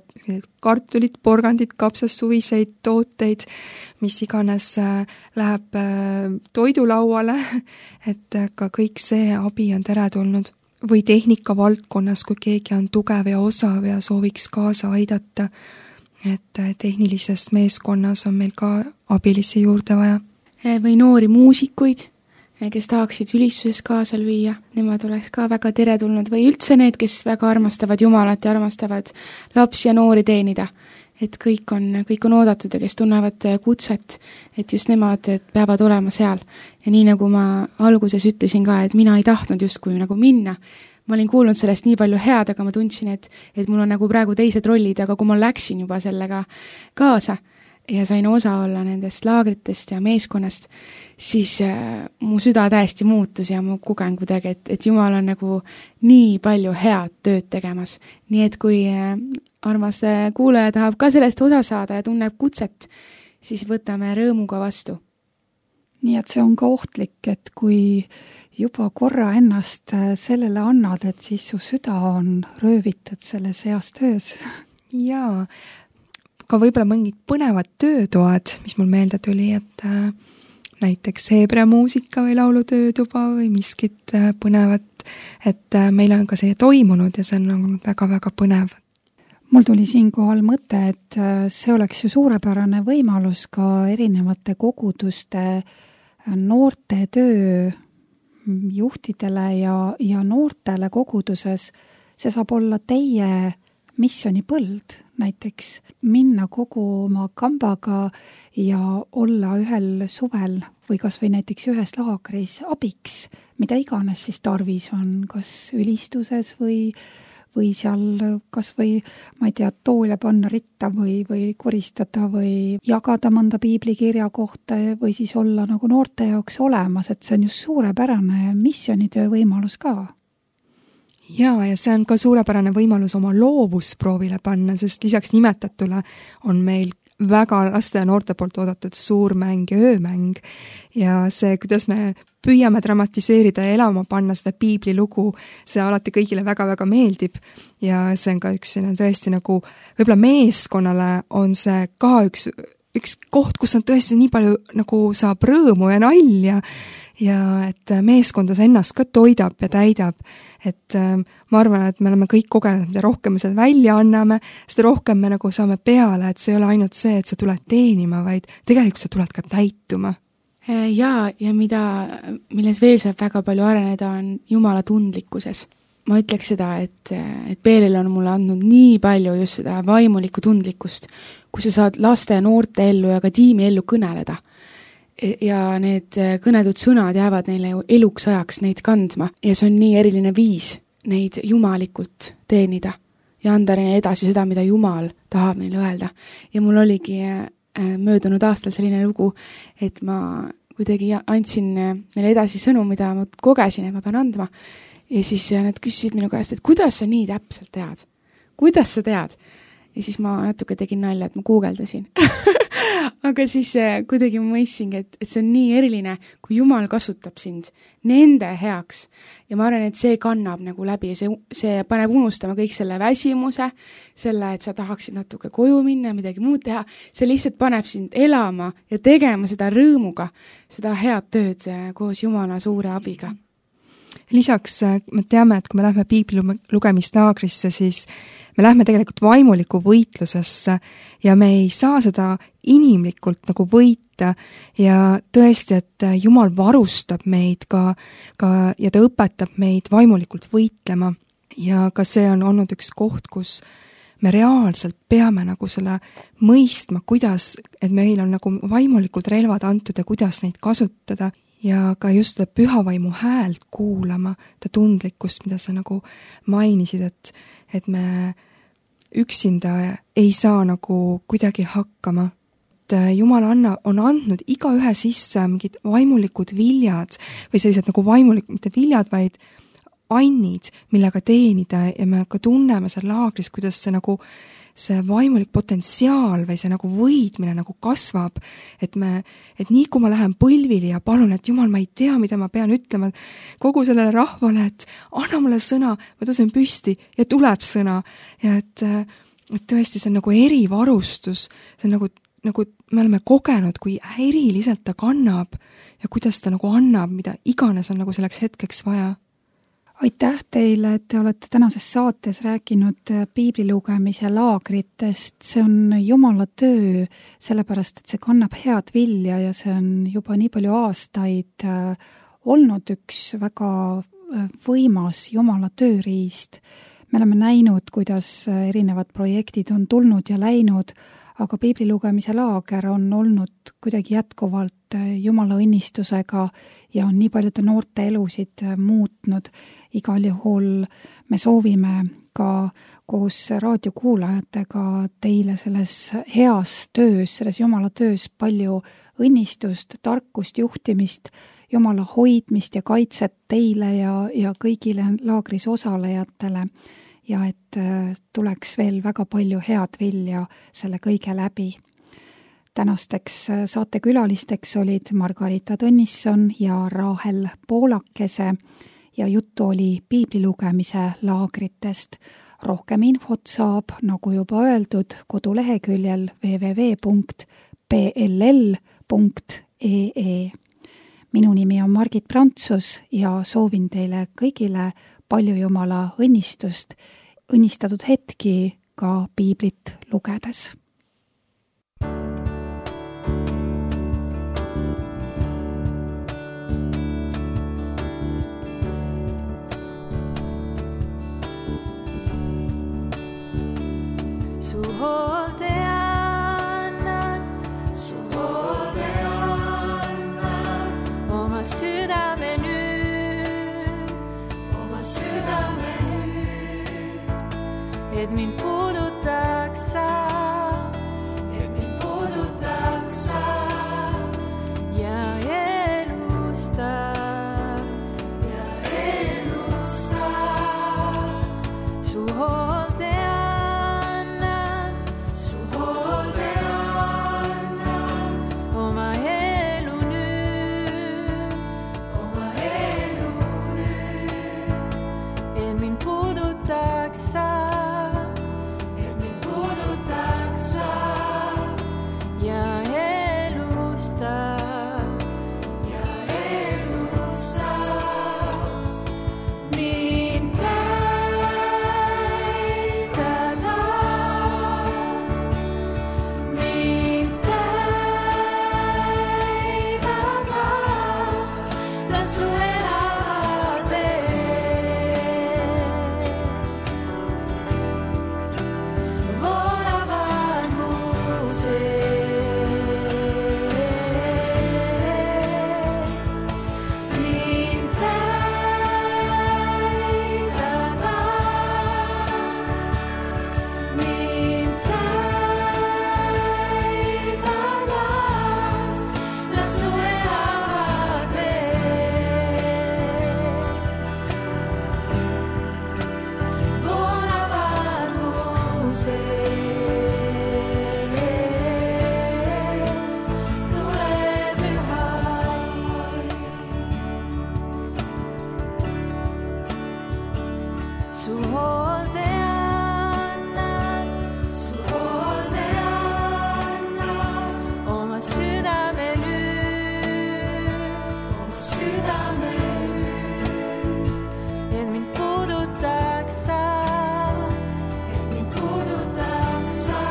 kartulit, porgandid, kapsassuviseid tooteid, mis iganes läheb toidulauale, et ka kõik see abi on teretulnud. Või tehnika valdkonnas, kui keegi on tugev ja osav ja sooviks kaasa aidata, et tehnilises meeskonnas on meil ka abilisi juurde vaja. Või noori muusikuid, kes tahaksid ülistuses kaasa lüüa, nemad oleks ka väga teretulnud, või üldse need, kes väga armastavad Jumalat ja armastavad lapsi ja noori teenida. Et kõik on, kõik on oodatud ja kes tunnevad kutset, et just nemad et peavad olema seal. Ja nii nagu ma alguses ütlesin ka, et mina ei tahtnud justkui nagu minna. Ma olin kuulnud sellest nii palju head, aga ma tundsin, et, et mul on nagu praegu teised rollid, aga kui ma läksin juba sellega kaasa ja sain osa olla nendest laagritest ja meeskonnast, siis äh, mu süda täiesti muutus ja ma kogen kuidagi, et, et Jumal on nagu nii palju head tööd tegemas. Nii et kui äh, armas kuulaja tahab ka sellest osa saada ja tunneb kutset, siis võtame rõõmuga vastu. Nii et see on ka ohtlik, et kui juba korra ennast sellele annad, et siis su süda on röövitud selles heas töös. Jaa, ka võib-olla mõngid põnevad töötoad, mis mul meelde tuli, et äh, näiteks Hebra muusika või laulutöötuba või miskit äh, põnevat, et äh, meil on ka selline toimunud ja see on olnud väga-väga põnev. Mul tuli siinkohal mõte, et see oleks ju suurepärane võimalus ka erinevate koguduste noorte töö juhtidele ja, ja noortele koguduses. See saab olla teie missionipõld, näiteks minna kogu oma kambaga ja olla ühel suvel või kas või näiteks ühes laagris abiks, mida iganes siis tarvis on, kas ülistuses või või seal kas või, ma ei tea, toole panna ritta või, või koristada või jagada mõnda piiblikirja kohta või siis olla nagu noorte jaoks olemas, et see on just suurepärane missionitöö võimalus ka. Jaa, ja see on ka suurepärane võimalus oma loovusproovile panna, sest lisaks nimetatule on meil väga laste ja noorte poolt oodatud suurmäng ja öömäng ja see, kuidas me püüame dramatiseerida ja elama panna seda piiblilugu, see alati kõigile väga-väga meeldib ja see on ka üks selline tõesti nagu, võib-olla meeskonnale on see ka üks, üks koht, kus on tõesti nii palju nagu saab rõõmu ja nalja ja et meeskonda see ennast ka toidab ja täidab. Et äh, ma arvan, et me oleme kõik kogenud, mida rohkem me seal välja anname, seda rohkem me nagu saame peale, et see ei ole ainult see, et sa tuled teenima, vaid tegelikult sa tuled ka täituma. Jaa, ja mida, milles veel saab väga palju areneda, on Jumala tundlikkuses. Ma ütleks seda, et, et Peelel on mulle andnud nii palju just seda vaimulikku tundlikkust, kus sa saad laste ja noorte ellu ja ka tiimi ellu kõneleda. Ja need kõnetud sõnad jäävad neile ju eluks ajaks neid kandma ja see on nii eriline viis neid jumalikult teenida ja anda neile edasi seda, mida Jumal tahab neile öelda. Ja mul oligi möödunud aastal selline lugu, et ma kuidagi andsin neile edasi sõnu, mida ma kogesin, et ma pean andma. Ja siis nad küsisid minu käest, et kuidas sa nii täpselt tead? Kuidas sa tead? Ja siis ma natuke tegin nalja, et ma guugeldasin. Aga siis kuidagi ma mõistsingi, et, et see on nii eriline, kui Jumal kasutab sind nende heaks. Ja ma arvan, et see kannab nagu läbi ja see, see paneb unustama kõik selle väsimuse, selle, et sa tahaksid natuke koju minna ja midagi muud teha. See lihtsalt paneb sind elama ja tegema seda rõõmuga, seda head tööd koos Jumala suure abiga. Lisaks me teame, et kui me lähme piibli lugemislaagrisse, siis me lähme tegelikult vaimuliku võitlusesse ja me ei saa seda inimlikult nagu võita ja tõesti, et Jumal varustab meid ka, ka ja ta õpetab meid vaimulikult võitlema ja ka see on olnud üks koht, kus me reaalselt peame nagu selle mõistma, kuidas, et meil on nagu vaimulikud relvad antud ja kuidas neid kasutada ja ka just seda pühavaimu häält kuulama, ta tundlikkust, mida sa nagu mainisid, et, et me üksinda ei saa nagu kuidagi hakkama. Et Jumal anna, on andnud iga ühe sisse mingid vaimulikud viljad või sellised nagu vaimulikud, mitte viljad, vaid annid, millega teenida ja me ka tunneme seal laagris, kuidas see nagu see vaimulik potentsiaal või see nagu võidmine nagu kasvab, et me, et nii kui ma lähen põlvili ja palun, et Jumal, ma ei tea, mida ma pean ütlema kogu sellele rahvale, et anna mulle sõna, ma tõusen püsti ja tuleb sõna ja et, et tõesti see on nagu erivarustus, see on nagu, nagu me oleme kogenud, kui eriliselt ta kannab ja kuidas ta nagu annab, mida iganes on nagu selleks hetkeks vaja. Aitäh teile, et te olete tänases saates rääkinud piiblilugemise laagritest. See on Jumala töö, sellepärast, et see kannab head vilja ja see on juba nii palju aastaid olnud üks väga võimas Jumala tööriist. Me oleme näinud, kuidas erinevad projektid on tulnud ja läinud, aga piiblilugemise laager on olnud kuidagi jätkuvalt Jumala õnnistusega ja on nii paljude noorte elusid muutnud. Igal juhul me soovime ka koos raadiokuulajatega teile selles heas töös, selles Jumala töös palju õnnistust, tarkust, juhtimist, Jumala hoidmist ja kaitset teile ja, ja kõigile laagris osalejatele ja et tuleks veel väga palju head vilja selle kõige läbi. Tänasteks saatekülalisteks olid Margarita Tõnisson ja Rahel Poolakese ja juttu oli piiblilugemise laagritest. Rohkem infot saab, nagu juba öeldud, koduleheküljel w w w punkt p l l punkt e e. Minu nimi on Margit Prantsus ja soovin teile kõigile palju Jumala õnnistust, õnnistatud hetki ka piiblit lugedes. Su hoolde annan, su hoolde annan, oma südame nüüd, oma südame nüüd, et mind puudutaks sa, et mind puudutaks sa ja elustaks, ja elustaks su hoolde Volavad mu sees. oma südame nüüd, oma südame nüüd, et mind puudutaks sa, et mind puudutaks sa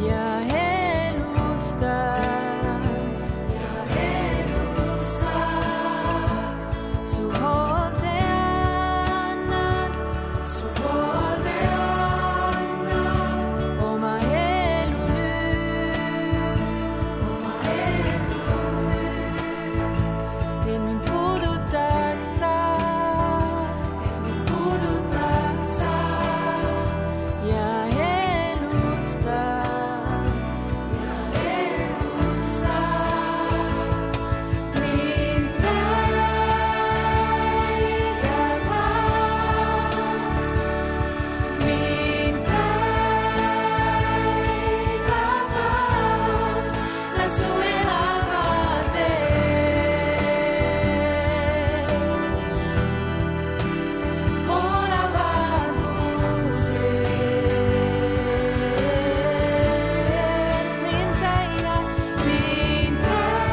ja elustaks, ja elustaks. Su hoolde annan, su hoolde annan oma elu nüüd, oma elu nüüd, et mind puudutaks sa, et mind puudutaks sa ja elustaks, ja elustaks. Mind täidades, mind täidades, las su elavad veed voolavad mu seest. Mind täida, mind täidades,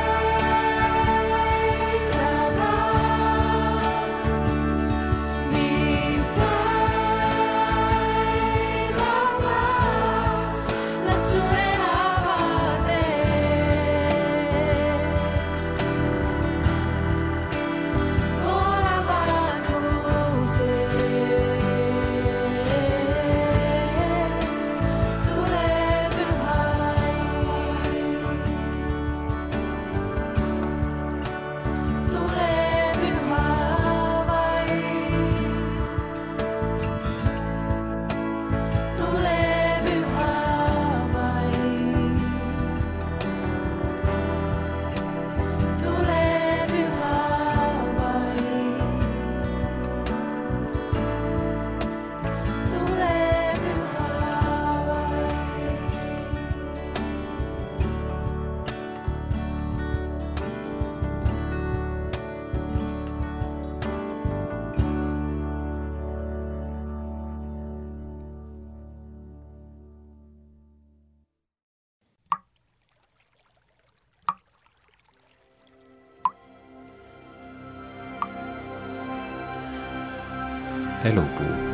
mind täidades, las su elavad veed voolavad mu seest. Tule püha vaim, tule püha vaim, tule püha vaim, tule püha vaim, tule püha elupuu.